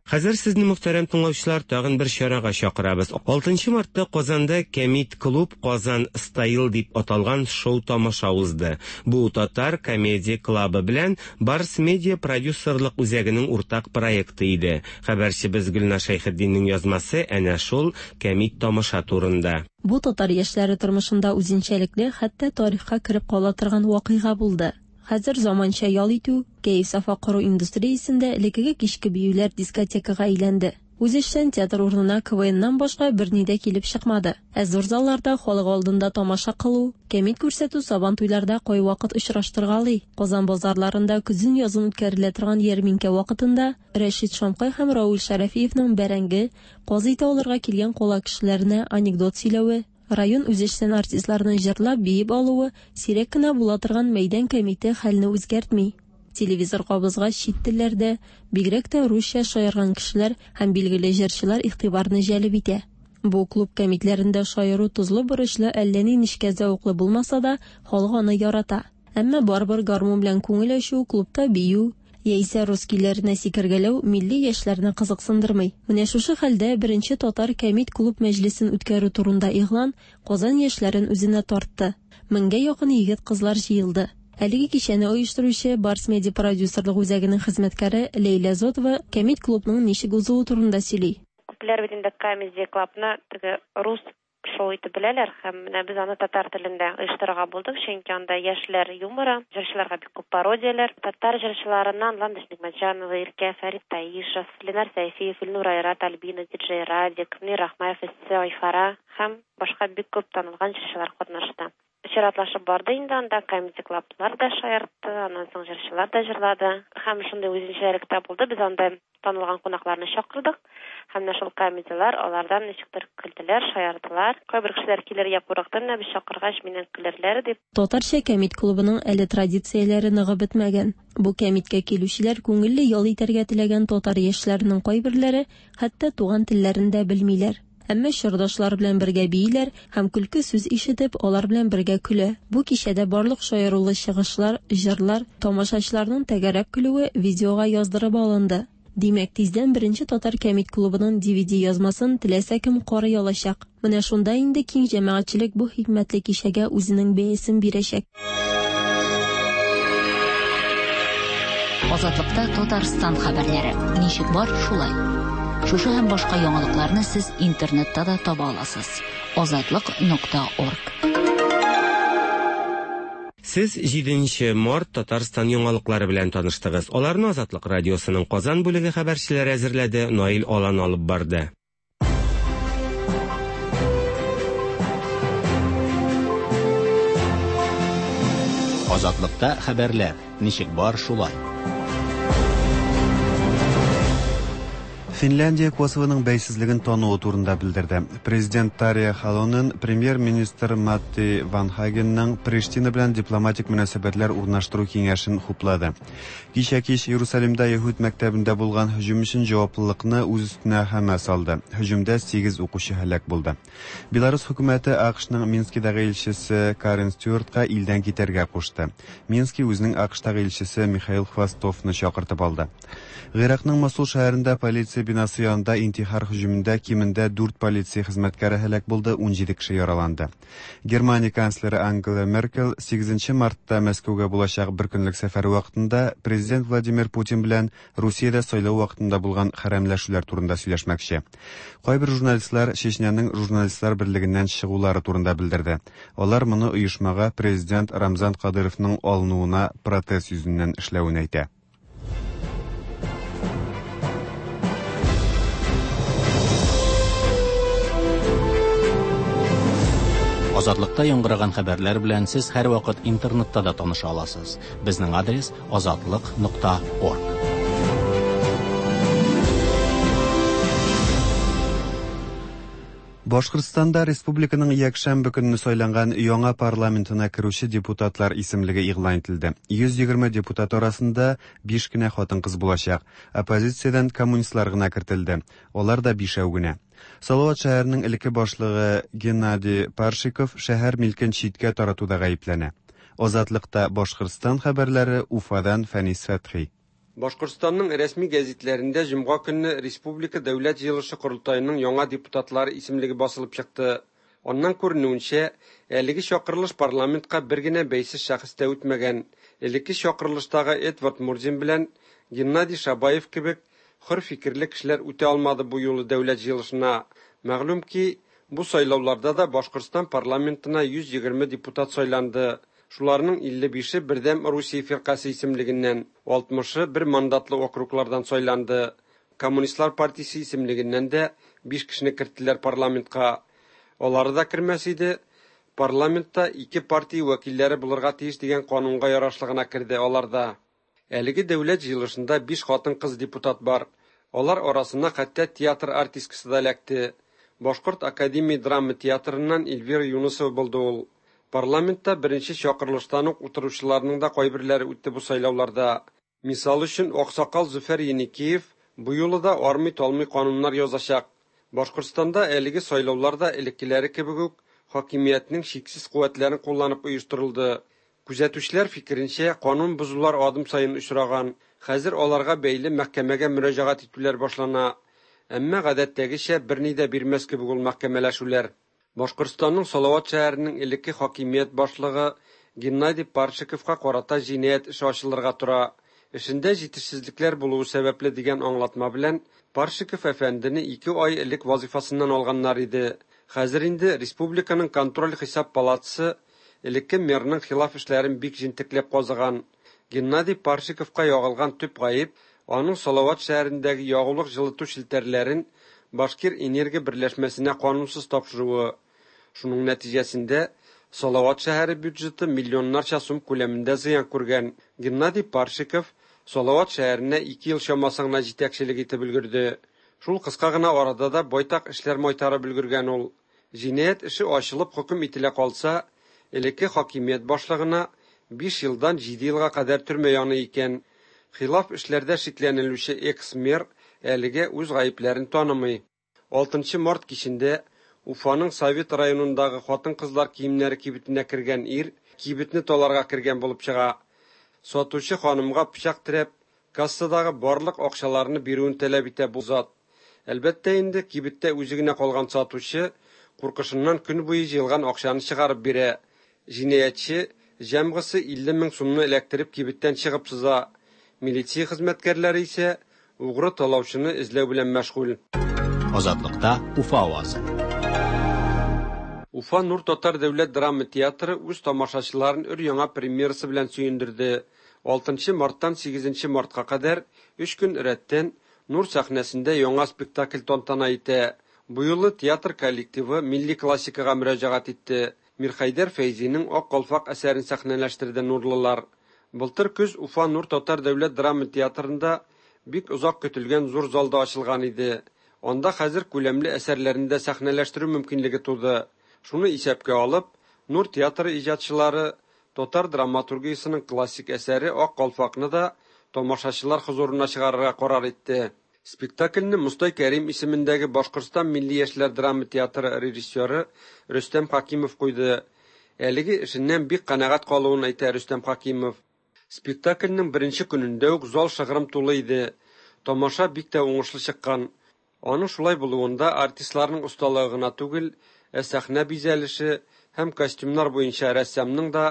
[SPEAKER 13] Хәзер сезне, мөхтәрәм тыңлаучылар, тагын бер чарага чакырабыз. алтынчы мартта Казанда Кәмит клуб Казан Стайл дип аталган шоу-тамаша узды. Бу татар комедия клубы белән Барс Медиа продюсерлык үзәгенең уртак проекты иде. Хәбәрчебез Гөлнар Шәйхетдиннең язмасы әнә шул кәмит тамаша турында.
[SPEAKER 30] Бу татар яшьләре тормышында үзенчәлекле, хәтта тарихка кереп кала торган вакыйга булды.
[SPEAKER 4] Хәзер заманча ял итү, кәеф-сафа кору индустриясендә элеккеге кичке биюләр дискотекага әйләнде. Үзешчән театр урынына КВНнан башка берни дә килеп чыкмады. Ә зур залларда халык алдында тамаша кылу, кәмит күрсәтү сабантуйларда кайвакыт очраштыргалый. Казан базарларында көзен-язын үткәрелә торган ярминкә вакытында Рәшит Шамкай һәм Рауль Шәрәфиевның бәрәңге, каз ите алырга килгән кала кешеләренә анекдот сөйләве, район үзешчән артистларының җырлап биеп алуы сирәк кенә була торган мәйдан кәмите хәлне үзгәртми. Телевизор кабызгач чит телләрдә, бигрәк тә русча шаярган кешеләр һәм билгеле җырчылар игътибарны җәлеп итә. Бу клуб кәмитләрендә шаяру тозлы-борычлы, әллә ни нечкә зәвыклы булмаса да, халык аны ярата. Әмма барыбер гармун белән күңел ачу, клубта бию, яисә рус көйләренә сикергәләү милли яшьләрне кызыксындырмый. Менә шушы хәлдә беренче татар кәмит клуб мәҗлесен үткәрү турында игълан Казан яшьләрен үзенә тартты. Меңгә якын егет-кызлар җыелды. Әлеге кичәне оештыручы Барс Медиа продюсерлык үзәгенең хезмәткәре Ләйлә Зотова кәмит клубның ничек узуы турында сөйли.
[SPEAKER 5] Күпләр бит инде Comedy Clubны теге рус шоу итеп беләләр, һәм менә без аны татар телендә оештырырга булдык, чөнки анда яшьләр юморы, җырчыларга бик күп пародияләр, татар җырчыларыннан Ландыш Нигъмәтҗанова, Иркә, Фәрит Таишев, Ленар Сәйфиев, Илнур Айрат, Альбина, Диджей Радик, Мөнир Рахмаев, Эссе Айфара һәм башка бик күп танылган җырчылар катнашты. Чиратлашып барды инде анда, Comedy Club'лар да шаяртты, аннан соң җырчылар да җырлады. Һәм шундый үзенчәлек тә булды, без анда танылган кунакларны чакырдык. Һәм менә шул комедиялар, алардан ничектер көлделәр, шаярдылар. Кайбер кешеләр килергә курыкты, менә без чакыргач миннән көлерләр дип.
[SPEAKER 4] Татарча кәмит клубының әле традицияләре ныгып бетмәгән. Бу кәмиткә килүчеләр күңелле ял итәргә теләгән татар яшьләренең кайберләре хәтта туган телләрен дә белмиләр. Әмма чордашлар белән бергә бииләр һәм көлке сүз ишетеп, алар белән бергә көлә. Бу кичәдә барлык шаярулы чыгышлар, җырлар, тамашачыларның тәгәрәп көлүе видеога яздырып алынды. Димәк, тиздән беренче татар кәмит клубының Ди Ви Ди язмасын теләсә кем карый алачак. Менә шунда инде киң җәмәгатьчелек бу хикмәтле кичәгә үзенең бәясен бирәчәк.
[SPEAKER 3] Азатлыкта Татарстан хәбәрләре. Ничек бар, шулай. Шушы һәм башка яңалыкларны сез интернетта да таба аласыз. азатлык нокта орг.
[SPEAKER 13] Сез җиденче март Татарстан яңалыклары белән таныштыгыз. Аларны Азатлык радиосының Казан бүлеге хәбәрчеләре әзерләде, Наил Алан алып барды.
[SPEAKER 1] Азатлыкта хәбәрләр ничек бар, шулай.
[SPEAKER 2] Финляндия Косовоның бәйсезлеген тануы турында белдерде. Президент Тарья Халонен премьер-министр Матти Ванхагенның Приштина белән дипломатик мөнәсәбәтләр урнаштыру киңәшен хуплады. Кичә кич Иерусалимда Яһүд мәктәбендә булган һөҗүм өчен җаваплылыкны үз өстенә Хамас алды. Һөҗүмдә сигез укучы һәлак булды. Беларус хөкүмәте АКШның Минскидагы илчесе Карен Стюартка илдән китәргә кушты. Мински үзенең АКШтагы илчесе Михаил Хвостовны чакыртып алды. Гыйракның Мосул шәһәрендә полиция бинасы янында интихар һөҗүмендә кимендә дүрт полиция хезмәткәре һәлак булды, ун җиде кеше яраланды. Германия канцлеры Ангела Меркель сигезенче мартта Мәскәүгә булачак бер көнлек сәфәре вакытында президент Владимир Путин белән Русиядә сайлау вакытында булган хәрәмләшүләр турында сөйләшмәкче. Кайбер журналистлар Чечняның журналистлар берлегеннән чыгулары турында белдерде. Алар моны оешмага президент Рамзан Кадыровның алынуына протест йөзеннән эшләвен әйтә.
[SPEAKER 1] Азатлыкта яңгыраган хәбәрләр белән сез һәрвакыт интернетта да таныша аласыз. Безнең адрес азатлык нокта орг.
[SPEAKER 2] Башкортстанда республиканың якшәмбе көнне сайланган яңа парламентына керүче депутатлар исемлеге игълан ителде. Йөз егерме депутат арасында биш кенә хатын-кыз булачак. Оппозициядән коммунистлар гына кертелде. Алар да бишәү генә. Салават шәһәренең элекке башлыгы Геннадий Паршиков шәһәр милкен читкә таратуда гаепләнә. Азатлыкта Башкортстан хәбәрләре Уфадан Фәнис Фәтхи.
[SPEAKER 6] Башкортстанның рәсми гәзитләрендә җомга көнне Республика дәүләт җыелышы корылтаеның яңа депутатлары исемлеге басылып чыкты. Аннан күренүенчә, әлеге чакырылыш парламентка бер генә бәйсез шәхес тә үтмәгән. Элекке чакырылыштагы Эдвард Мурзин белән Геннадий Шабаев кебек хөр фикерле кешеләр үтә алмады бу юлы дәүләт җыелышына. Мәгълүм ки, бу сайлауларда да Башкортстан парламентына йөз егерме депутат сайланды. Шуларның илле бише Бердәм Русия фиркасе исемлегеннән, алтмышы бер мандатлы округлардан сайланды. Коммунистлар партиясе исемлегеннән дә биш кешене керттеләр парламентка. Алары да кермәс иде, парламентта ике партия вәкилләре булырга тиеш дигән канунга ярашлы гына керде алар да. Әлеге дәүләт җыелышында биш хатын-кыз депутат бар. Алар арасына хәтта театр артисткасы да эләкте. Башкорт академия драма театрыннан Эльвира Юнысова булды ул. Парламентта беренче чакырылыштан ук утыручыларның да кайберләре үтте бу сайлауларда. Мисал өчен, аксакал Зөфәр Еникеев бу юлы да армый-талмый кануннар язачак. Башкортстанда әлеге сайлаулар да элеккеләре кебек үк хакимиятнең чиксез куәтләрен кулланып оештырылды. Күзәтүчеләр фикеренчә, канун бозулар адым саен очраган. Хәзер аларга бәйле мәхкәмәгә мөрәҗәгать итүләр башлана. Әмма гадәттәгечә берни дә бирмәс кебек ул мәхкәмәләшүләр. Башкортстанның Салават шәһәренең элекке хакимият башлыгы Геннадий Паршиковка карата җинаять эше ачылырга тора. Эшендә җитешсезлекләр булуы сәбәпле дигән аңлатма белән Паршиков әфәндене ике ай элек вазифасыннан алганнар иде. Хәзер инде республиканың контроль-хисап палатасы элекке мэрның хилаф эшләрен бик җентекләп казыган. Геннадий Паршиковка ягылган төп гаеп аның Салават шәһәрендәге ягулык җылыту челтәрләрен Башкир энергия берләшмәсенә канунсыз тапшыруы. Шуның нәтиҗәсендә Салават шәһәре бюджеты миллионнарча сум күләмендә зыян күргән. Геннадий Паршиков Салават шәһәренә ике ел чамасы гына җитәкчелек итеп өлгерде. Шул кыска гына арада да байтак эшләр майтарып өлгергән ул. Җинаять эше ачылып хөкем ителә калса, элекке хакимият башлыгына биш елдан җиде елга кадәр төрмә яный икән. Хилаф эшләрдә шикләнелүче экс-мэр әлегә үз гаепләрен танымый. Алтынчы март кичендә Уфаның Совет районындагы хатын-кызлар киемнәре кибетенә кергән ир кибетне таларга кергән булып чыга. Сатучы ханымга пычак терәп, кассадагы барлык акчаларны бирүен таләп итә бу зат. Әлбәттә инде кибеттә үзе генә калган сатучы куркышыннан көн буе җыелган акчаны чыгарып бирә. Җинаятьче җәмгысе илле мең сумны эләктереп кибеттән чыгып сыза. Милиция хезмәткәрләре исә угры талаучыны эзләү белән мәшгуль.
[SPEAKER 1] Азатлыкта Уфа авазы.
[SPEAKER 6] Уфа Нур татар дәүләт драма театры үз тамашачыларын өр-яңа премьерасы белән сөендерде. Алтынчы марттан сигезенче мартка кадәр өч көн рәттән Нур сәхнәсендә яңа спектакль тантана итә. Бу юлы театр коллективы милли классикага мөрәҗәгать итте. Мирхәйдәр Фәйзинең Ак калфак әсәрен сәхнәләштерде нурлылар. Былтыр көз Уфа Нур татар дәүләт драма театрында бик озак көтелгән зур залда ачылган иде. Анда хәзер күләмле әсәрләрен дә сәхнәләштерү мөмкинлеге туды. Шуны исәпкә алып, Нур театры иҗатчылары татар драматургиясының классик әсәре Ак калфакны да тамашачылар хозурына чыгарырга карар итте. Спектакльне Мостай Кәрим исемендәге Башкортстан милли яшьләр драма театры режиссеры Рөстәм Хакимов куйды. Әлеге эшеннән бик канәгать калуын әйтә Рөстәм Хакимов. Спектакльнең беренче көнендә үк зал шыгрым тулы иде. Тамаша бик тә уңышлы чыккан. Аның шулай булуында артистларның осталыгы гына түгел, ә сәхнә бизәлеше һәм костюмнар буенча рәссамның да,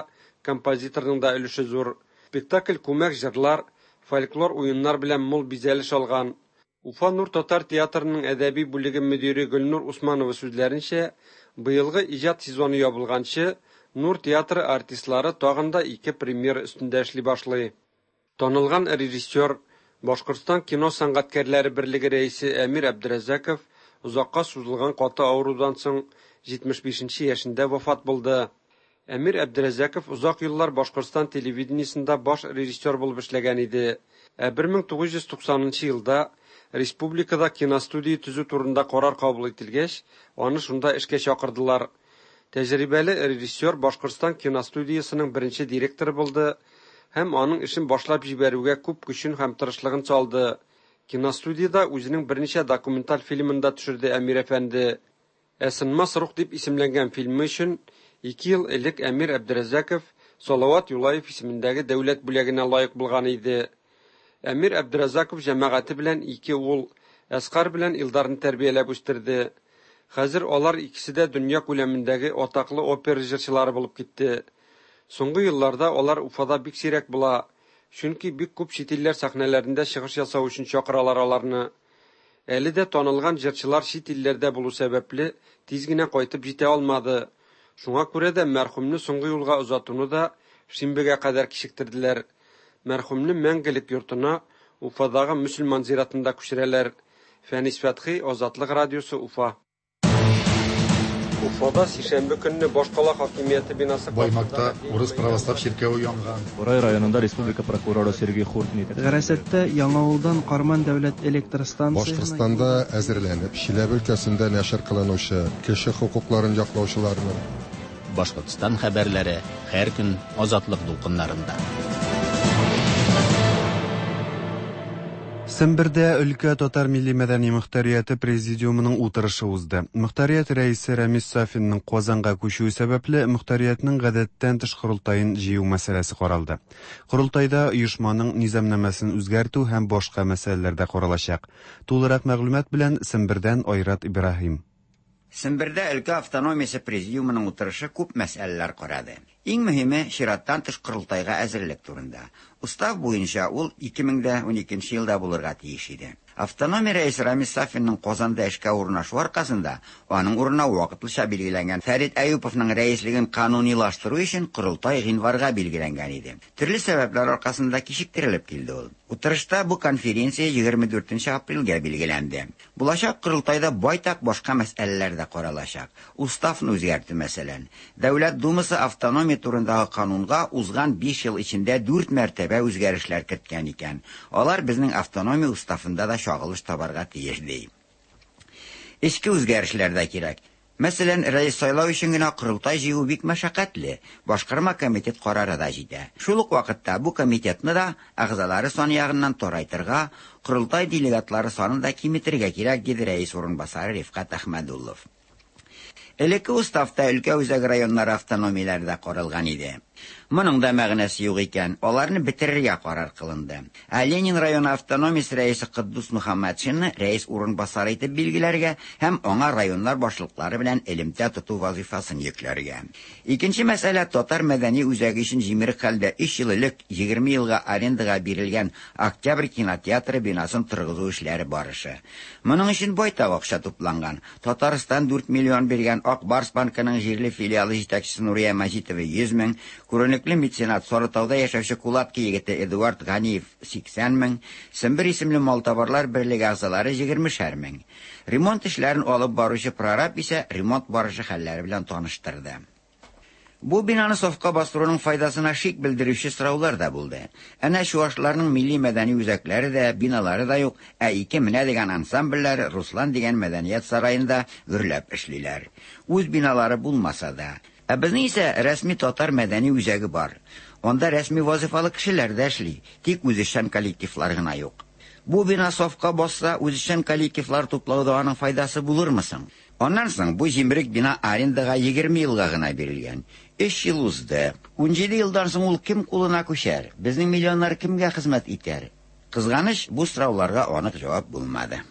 [SPEAKER 6] композиторның да өлеше зур. Спектакль күмәк җырлар, фольклор уеннар белән мул бизәлеш алган. Уфа Нур татар театрының әдәби бүлеге мөдире Гөлнур Усманова сүзләренчә, быелгы иҗат сезоны ябылганчы Нур театры артистлары тагын да ике премьера өстендә эшли башлый. Танылган режиссер, Башкортстан кино сәнгатькәрләре берлеге рәисе Әмир Әбдерәзәков озакка сузылган каты авырудан соң җитмеш бишенче яшендә вафат булды. Әмир Әбдерәзәков озак еллар Башкортстан телевидениесендә баш режиссер булып эшләгән иде. Ә бер мең тугыз йөз туксанынчы елда республикада киностудия төзү турында карар кабул ителгәч, аны шунда эшкә чакырдылар. Тәҗрибәле режиссер Башкортстан киностудиясының беренче директоры булды һәм аның эшен башлап җибәрүгә күп көчен һәм тырышлыгын салды. Киностудияда үзенең берничә документаль фильмын да төшерде Әмир әфәнде. Ә Сынмас рух дип исемләнгән фильмы өчен ике ел элек Әмир Әбдерәзәков Салават Юлаев исемендәге дәүләт бүләгенә лаек булган иде. Әмир Әбдерәзәков җәмәгате белән ике ул, Әсҡар белән Илдарны тәрбияләп үстерде. Хәзер алар икесе дә дөнья күләмендәге атаклы опера җырчылары булып китте. Соңгы елларда алар Уфада бик сирәк була, чөнки бик күп чит илләр сәхнәләрендә чыгыш ясау өчен чакыралар аларны. Әле дә танылган җырчылар чит илләрдә булу сәбәпле тиз генә кайтып җитә алмады. Шуңа күрә дә мәрхүмне соңгы юлга озатуны да шимбәгә кадәр кичектерделәр. Мәрхүмне мәңгелек йортына Уфадагы мөселман зиратында күчерәләр. Фәнис Фәтхи, Азатлык радиосы, Уфа. Уфада сишәмбе көнне башкала хакимияте бинасы
[SPEAKER 7] Баймакта урыс православ чиркәве янган.
[SPEAKER 8] Бурай районында республика прокуроры Сергей Хуртник.
[SPEAKER 9] Гарасәттә Яңавылдан Карман дәүләт электр станциясенә
[SPEAKER 7] Башкортстанда әзерләнеп, Чиләбе өлкәсендә нәшер кылынучы кеше хокукларын яклаучыларның
[SPEAKER 1] Башкортстан хәбәрләре һәр көн Азатлык дулкыннарында.
[SPEAKER 2] Сембердә өлкә татар милли мәдәни мөхтәрияте президиумының утырышы узды. Мөхтәрият рәисе Рәмис Сафинның Казанга күчүе сәбәпле мөхтәриятнең гадәттән тыш корылтаен җыю мәсьәләсе каралды. Корылтайда оешманың низамнамәсен үзгәртү һәм башка мәсьәләләр дә каралачак. Тулырак мәгълүмат белән Сембердән Айрат Ибраһим.
[SPEAKER 10] Сембердә өлкә автономиясе президиумының утырышы күп мәсьәләләр карады. Иң мөһиме чираттан тыш корылтайга әзерлек турында. Устав буенча ул ике мең дә уникенче елда булырга тиеш иде. Автономия рәисе Рамис Сафинның Казанда эшкә урнашу аркасында аның урынына вакытлыча билгеләнгән Фәрит Әюповның рәислеген канунилаштыру өчен корылтай гыйнварга билгеләнгән иде. Төрле сәбәпләр аркасында кичектерелеп килде ул. Утырышта бу конференция егерме дүртенче апрельгә билгеләнде. Булачак корылтайда байтак башка мәсьәләләр дә каралачак. Уставны үзгәртү мәсәлән. Дәүләт Думасы автономия турындагы канунга узган биш ел эчендә дүрт мәртәбә үзгәрешләр керткән икән. Алар безнең автономия уставында да чагылыш табарга тиеш ди. Эчке үзгәрешләр дә кирәк. Мәсәлән, рәис сайлау өчен генә корылтай җыю бик мәшәкатьле. Башкарма комитет карары да җитә. Шул ук вакытта бу комитетны да әгъзалары саны ягыннан тарайтырга, корылтай делегатлары санын да киметергә кирәк, диде рәис урынбасары Рифкат Әхмәдуллов. Элекке уставта өлкә үзәк районнары автономияләре дә каралган иде. Моның да мәгънәсе юк икән, аларны бетерергә карар кылынды. Ә Ленин районы автономиясе рәисе Кыддус Мөхәммәтшинны рәис урынбасары итеп билгеләргә һәм аңа районнар башлыклары белән элемтә тоту вазифасын йөкләргә. Икенче мәсьәлә татар мәдәни үзәге өчен җимерек хәлдә өч ел элек егерме елга арендага бирелгән Октябрь кинотеатры бинасын торгызу эшләре барышы. Моның өчен байтак акча тупланган. Татарстан дүрт миллион биргән, Ак Барс банкының җирле филиалы җитәкчесе Нурия Мәҗитова йөз мең, күренекле меценат Сарытауда яшәүче Кулатки егете Эдуард Ганиев сиксән мең, Сембер исемле малтабарлар берлеге әгъзалары егермешәр мең. Ремонт эшләрен алып баручы прораб исә ремонт барышы хәлләре белән таныштырды. Бу бинаны сафка бастыруның файдасына шик белдерүче сораулар да булды. Әнә чуашларның милли мәдәни үзәкләре дә, биналары да юк, ә ике менә дигән ансамбльләр Руслан дигән мәдәният сараенда гөрләп эшлиләр. Үз биналары булмаса да. Ә безнең исә рәсми татар мәдәни үзәге бар. Анда рәсми вазифалы кешеләр дә эшли, тик үзешчән коллективлар гына юк. Бу бина сафка басса, үзешчән коллективлар туплауда аның файдасы булырмы соң? Аннан соң бу җимерек бина арендага егерме елга гына бирелгән. Өч ел узды. Унҗиде елдан соң ул кем кулына күчәр? Безнең миллионнар кемгә хезмәт итәр? Кызганыч, бу сорауларга анык җавап булмады.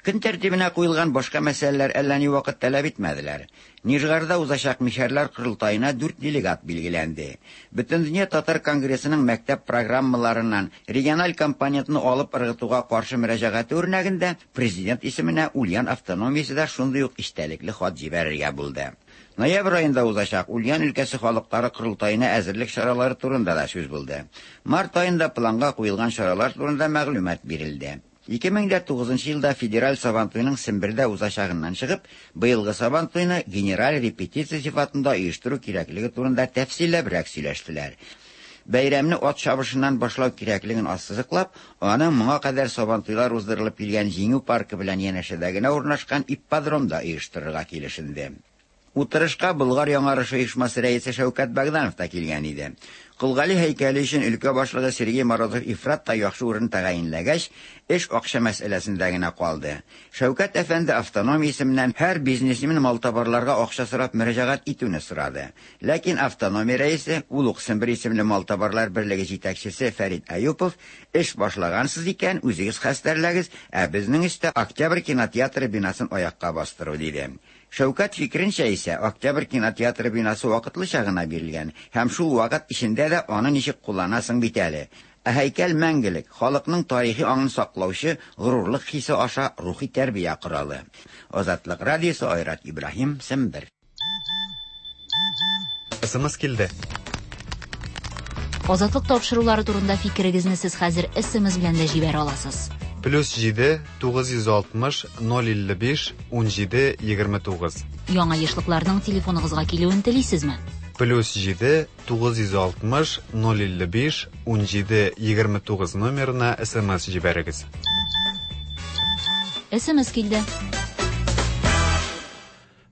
[SPEAKER 10] Көн тәртибенә куелган башка мәсьәләләр әллә ни вакыт таләп итмәделәр. Нижгарда узачак мишәрләр корылтаена дүрт делегат билгеләнде. Бөтендөнья татар конгрессының мәктәп программаларыннан региональ компонентны алып ыргытуга каршы мөрәҗәгате үрнәгендә президент исеменә Ульян автономиясе дә шундый ук истәлекле хат җибәрергә булды. Ноябрь аенда узачак Ульян өлкәсе халыклары корылтаена әзерлек чаралары турында да сүз булды. Март аенда планга куелган чаралар турында мәгълүмат бирелде. Ике мең дә тугызынчы елда федераль Сабантуйның Сембердә узачагыннан чыгып, быелгы Сабантуйны генераль репетиция сифатында оештыру кирәклеге турында тәфсилләбрәк сөйләштеләр. Бәйрәмне ат чабышыннан башлау кирәклеген ассызыклап, аны моңа кадәр Сабантуйлар уздырылып килгән Җиңү паркы белән янәшәдә генә урнашкан ипподромда оештырырга килешенде. Утырышка Болгар яңарышы оешмасы рәисе Шәүкәт Богданов та килгән иде. Колгали һәйкәле өчен өлкә башлыгы Сергей Морозов ифрат та яхшы урын тәгаенләгәч, эш акча мәсьәләсендә генә калды. Шәүкәт әфәнде автономия исеменнән һәр бизнесмен малтабарларга акча сорап мөрәҗәгать итүне сорады. Ләкин автономия рәисе, ул ук Сембер исемле малтабарлар берлеге җитәкчесе Фәрит Әюпов, эш башлагансыз икән, үзегез хәстәрләгез, ә безнең өстә Октябрь кинотеатры бинасын аякка бастыру, диде. Шәүкәт фикеренчә исә Октябрь кинотеатры бинасы вакытлыча гына бирелгән һәм шул вакыт эчендә дә аны ничек кулланасың бит әле. Ә һәйкәл мәңгелек, халыкның тарихи аңын саклаучы горурлык хисе аша рухи тәрбия коралы. Азатлык радиосы, Айрат Ибраһим, Сембер.
[SPEAKER 11] СМС килде.
[SPEAKER 3] Азатлык тапшырулары турында фикерегезне сез хәзер С М С белән дә җибәрә аласыз.
[SPEAKER 2] Плюс җиде тугыз йөз алтмыш ноль илле биш унҗиде егерме тугыз.
[SPEAKER 3] Яңа ешлыкларның телефоныгызга килүен телисезме?
[SPEAKER 2] Плюс җиде тугыз йөз алтмыш ноль илле биш унҗиде егерме тугыз номерына С М С җибәрегез.
[SPEAKER 3] С М С килде.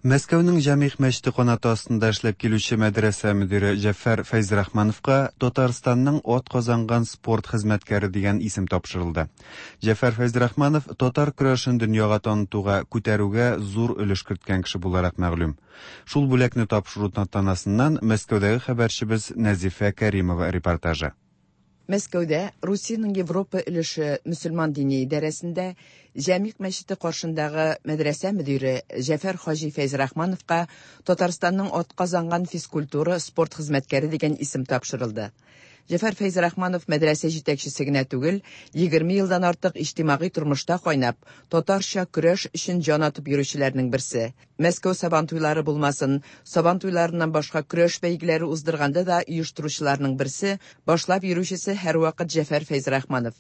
[SPEAKER 2] Мәскәүнең Җәмигъ мәчете канаты астында эшләп килүче мәдрәсә мөдире Җәфәр Фәйзрахмановка Татарстанның атказанган спорт хезмәткәре дигән исем тапшырылды. Җәфәр Фәйзрахманов татар көрәшен дөньяга танытуга, күтәрүгә зур өлеш керткән кеше буларак мәгълүм. Шул бүләкне тапшыру тантанасыннан Мәскәүдәге хәбәрчебез Нәзифә Кәримова репортажы.
[SPEAKER 11] Мәскәүдә Русиянең Европа өлеше мөселман дини идарәсендә Җәмигъ мәчете каршындагы мәдрәсә мөдире Җәфәр хаҗи Фәйзрахмановка Татарстанның атказанган физкультура спорт хезмәткәре дигән исем тапшырылды. Җәфәр Фәйзрахманов мәдрәсә җитәкчесе генә түгел, егерме елдан артык иҗтимагый тормышта кайнап, татарча көрәш өчен җан атып йөрүчеләрнең берсе. Мәскәү сабан туйлары булмасын, сабан туйларыннан башка көрәш бәйгеләре уздырганда да оештыручыларның берсе, башлап йөрүчесе һәрвакыт Җәфәр Фәйзрахманов.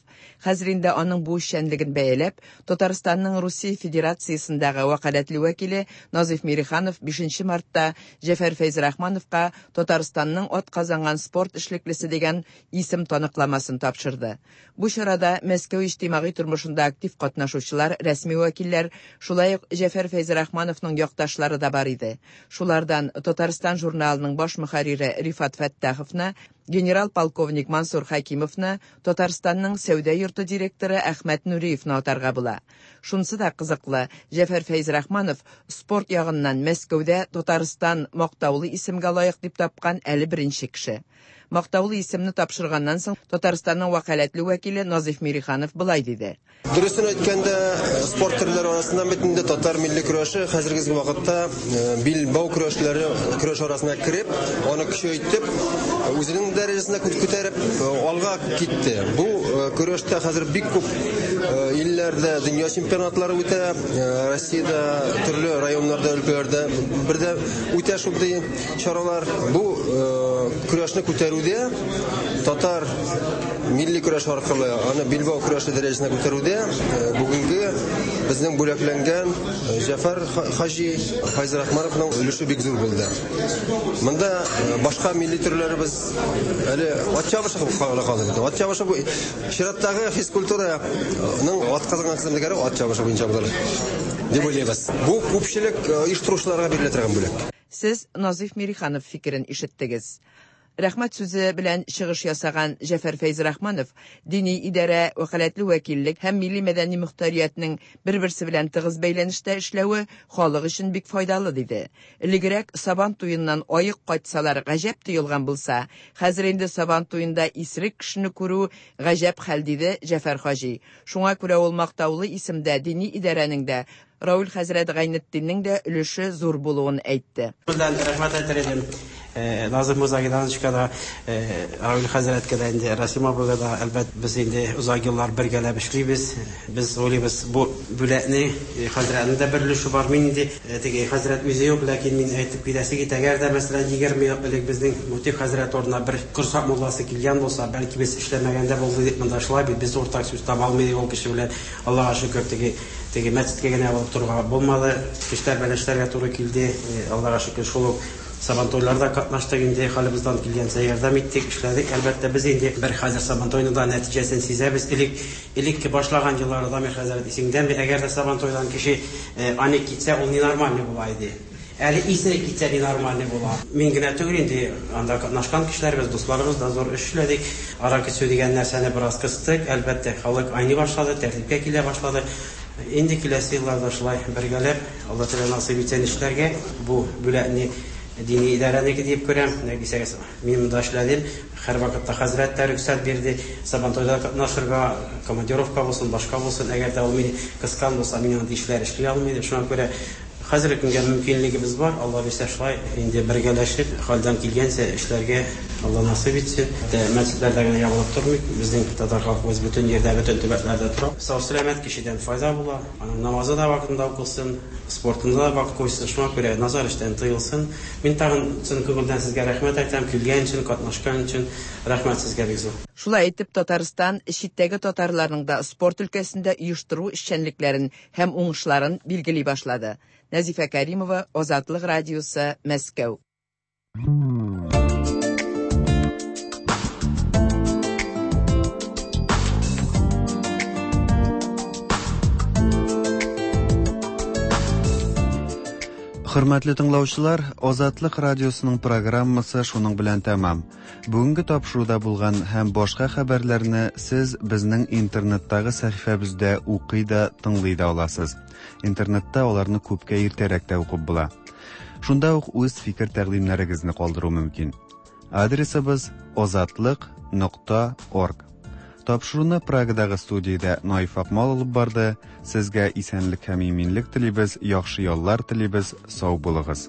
[SPEAKER 11] Хәзер инде аның бу эшчәнлеген бәяләп, Татарстанның Русия Федерациясендәге вәкаләтле вәкиле Назиф Мириханов бишенче мартта Җәфәр Фәйзрахмановка Татарстанның атказанган спорт эшлеклесе дигән исем таныкламасын тапшырды. Бу чарада Мәскәү иҗтимагый тормышында актив катнашучылар, рәсми вәкилләр, шулай ук Җәфәр Фәйзрахмановның якташлары да бар иде. Шулардан Татарстан журналының баш мөхәррире Рифат Фәттаховны, генерал-полковник Мансур Хакимовны, Татарстанның сәүдә йорты директоры Әхмәт Нуриевны атарга була. Шунысы да кызыклы, Җәфәр Фәйзрахманов спорт ягыннан Мәскәүдә Татарстан мактаулы исемгә лаек дип тапкан әле беренче кеше. Мактаулы исемне тапшырганнан соң Татарстанның вәкаләтле вәкиле Назиф Мириханов болай диде.
[SPEAKER 12] Дөресен әйткәндә, спорт төрләре арасыннан бит инде татар милли көрәше хәзерге вакытта билбау көрәшләре көрәш арасына кереп, аны көчәйтеп, үзенең дәрәҗәсенә күтәреп алга китте. Бу көрәштә хәзер бик күп илләрдә дөнья чемпионатлары үтә, Россиядә төрле районнарда, өлкәләрдә бердә үтә шундый чаралар. Бу көрәшне күтәрүдә, татар милли көрәш аркылы аны билбау көрәше дәрәҗәсенә күтәрүдә бүгенге безнең бүләкләнгән Җәфәр хаҗи Фәйзрахмановның өлеше бик зур булды. Монда башка милли төрләребез әле ат чабышы калды. Ат чабышы бу чираттагы физкультураның атказанган хезмәткәре ат чабышы буенча булыр дип уйлыйбыз. Бу күпчелек оештыручыларга бирелә торган бүләк.
[SPEAKER 11] Сез Назиф Мириханов фикерен ишеттегез. Рәхмәт сүзе белән чыгыш ясаган Җәфәр Фәйзрахманов дини идарә, вәкаләтле вәкиллек һәм милли мәдәни мөхтәриятнең бер-берсе белән тыгыз бәйләнештә эшләве халык өчен бик файдалы диде. Элегрәк Сабан туеннан аек кайтсалар гаҗәп тоелган булса, хәзер инде Сабан туенда исерек кешене күрү гаҗәп хәл, диде Җәфәр хаҗи. Шуңа күрә ул мактаулы исемдә дини идарәнең дә, Рауль хәзрәт Гайнетдиннең дә өлеше зур булуын әйтте.
[SPEAKER 14] Белән рәхмәт әйтер идем. Назым Музагидановичка да, Рауль хәзрәткә дә, инде Расим абыйга да, әлбәт, без инде озак еллар бергәләп эшлибез. Без уйлыйбыз, бу бүләкне хәзрәтнең дә бер өлеше бар. Мин инде теге хәзрәт үзе юк, ләкин мин әйтеп китәсе китә, әгәр дә, мәсәлән, егерме ел элек безнең Мутиф хәзрәт орнына бер Корсак мулласы килгән булса, бәлки без эшләмәгәндә булды дип монда шулай бит без уртак сүз таба алмый ул кеше белән. Аллага шөкер, теге теге мәчеткә генә барып торырга булмады. Кешеләр белән эшләргә туры килде. Аллага шөкер, шул ук Сабантуйларда катнаштык инде, хәлебездән килгәнчә ярдәм иттек, эшләдек. Әлбәттә, без инде бер хәзер Сабантуйның да нәтиҗәсен сизәбез. Элек элекке башлаган елларда, Дамир хәзрәт, исеңдәме, әгәр дә Сабантуйдан кеше аник китсә, ул ненормальный була иде. Әле исерек китсә ненормальный була. Мин генә түгел инде, анда катнашкан кешеләребез, дусларыбыз да зур эш эшләдек. Аракы эчү дигән нәрсәне бераз кыстык. Әлбәттә, халык айный башлады, тәртипкә килә башлады. Инде киләсе елларда шулай бергәләп, Алла Тәгалә насыйп итсен эшләргә. Бу бүләкне дини идарәнеке дип күрәм. Дисәгез, мин монда эшләдем. Һәр вакытта хәзрәт тә рөхсәт бирде. Сабантуйда катнашырга, командировка булсын, башка булсын. Әгәр дә ул мине кыскан булса, мин андый эшләр эшли алмыйм. Шуңа күрә Хәзерге көнгә мөмкинлегебез бар, Алла бирсә шулай инде бергәләшеп, хәлдән килгәнчә эшләргә Алла насыйп итсен. Мәчетләрдә генә ябылып тормыйк. Безнең татар халкыбыз бөтен җирдә, бөтен төбәкләрдә тора. Сау-сәламәт кешедән файда була. Аның намазы да вакытында укылсын, спортында да вакыт куйсын. Шуңа күрә назар эштән тыелсын. Мин тагын чын күңелдән сезгә рәхмәт әйтәм, килгән өчен, катнашкан өчен. Рәхмәт сезгә бик зур.
[SPEAKER 11] Шулай итеп, Татарстан читтәге татарларның да спорт өлкәсендә оештыру эшчәнлекләрен һәм уңышларын билгели башлады. Нәзифә Кәримова, Азатлык радиосы, Мәскәү.
[SPEAKER 2] Хөрмәтле тыңлаучылар, Азатлык радиосының программасы шуның белән тәмам. Бүгенге тапшыруда булган һәм башка хәбәрләрне сез безнең интернеттагы сәхифәбездә укый да, тыңлый да аласыз. Интернетта аларны күпкә иртәрәк тә укып була. Шунда ук үз фикер тәкъдимнәрегезне калдыру мөмкин. Адресыбыз азатлык нокта орг. Тапшыруны Прагадагы студиядә Наиф Акмал алып барды. Сезгә исәнлек һәм иминлек телибез, яхшы яллар телибез. Сау булыгыз.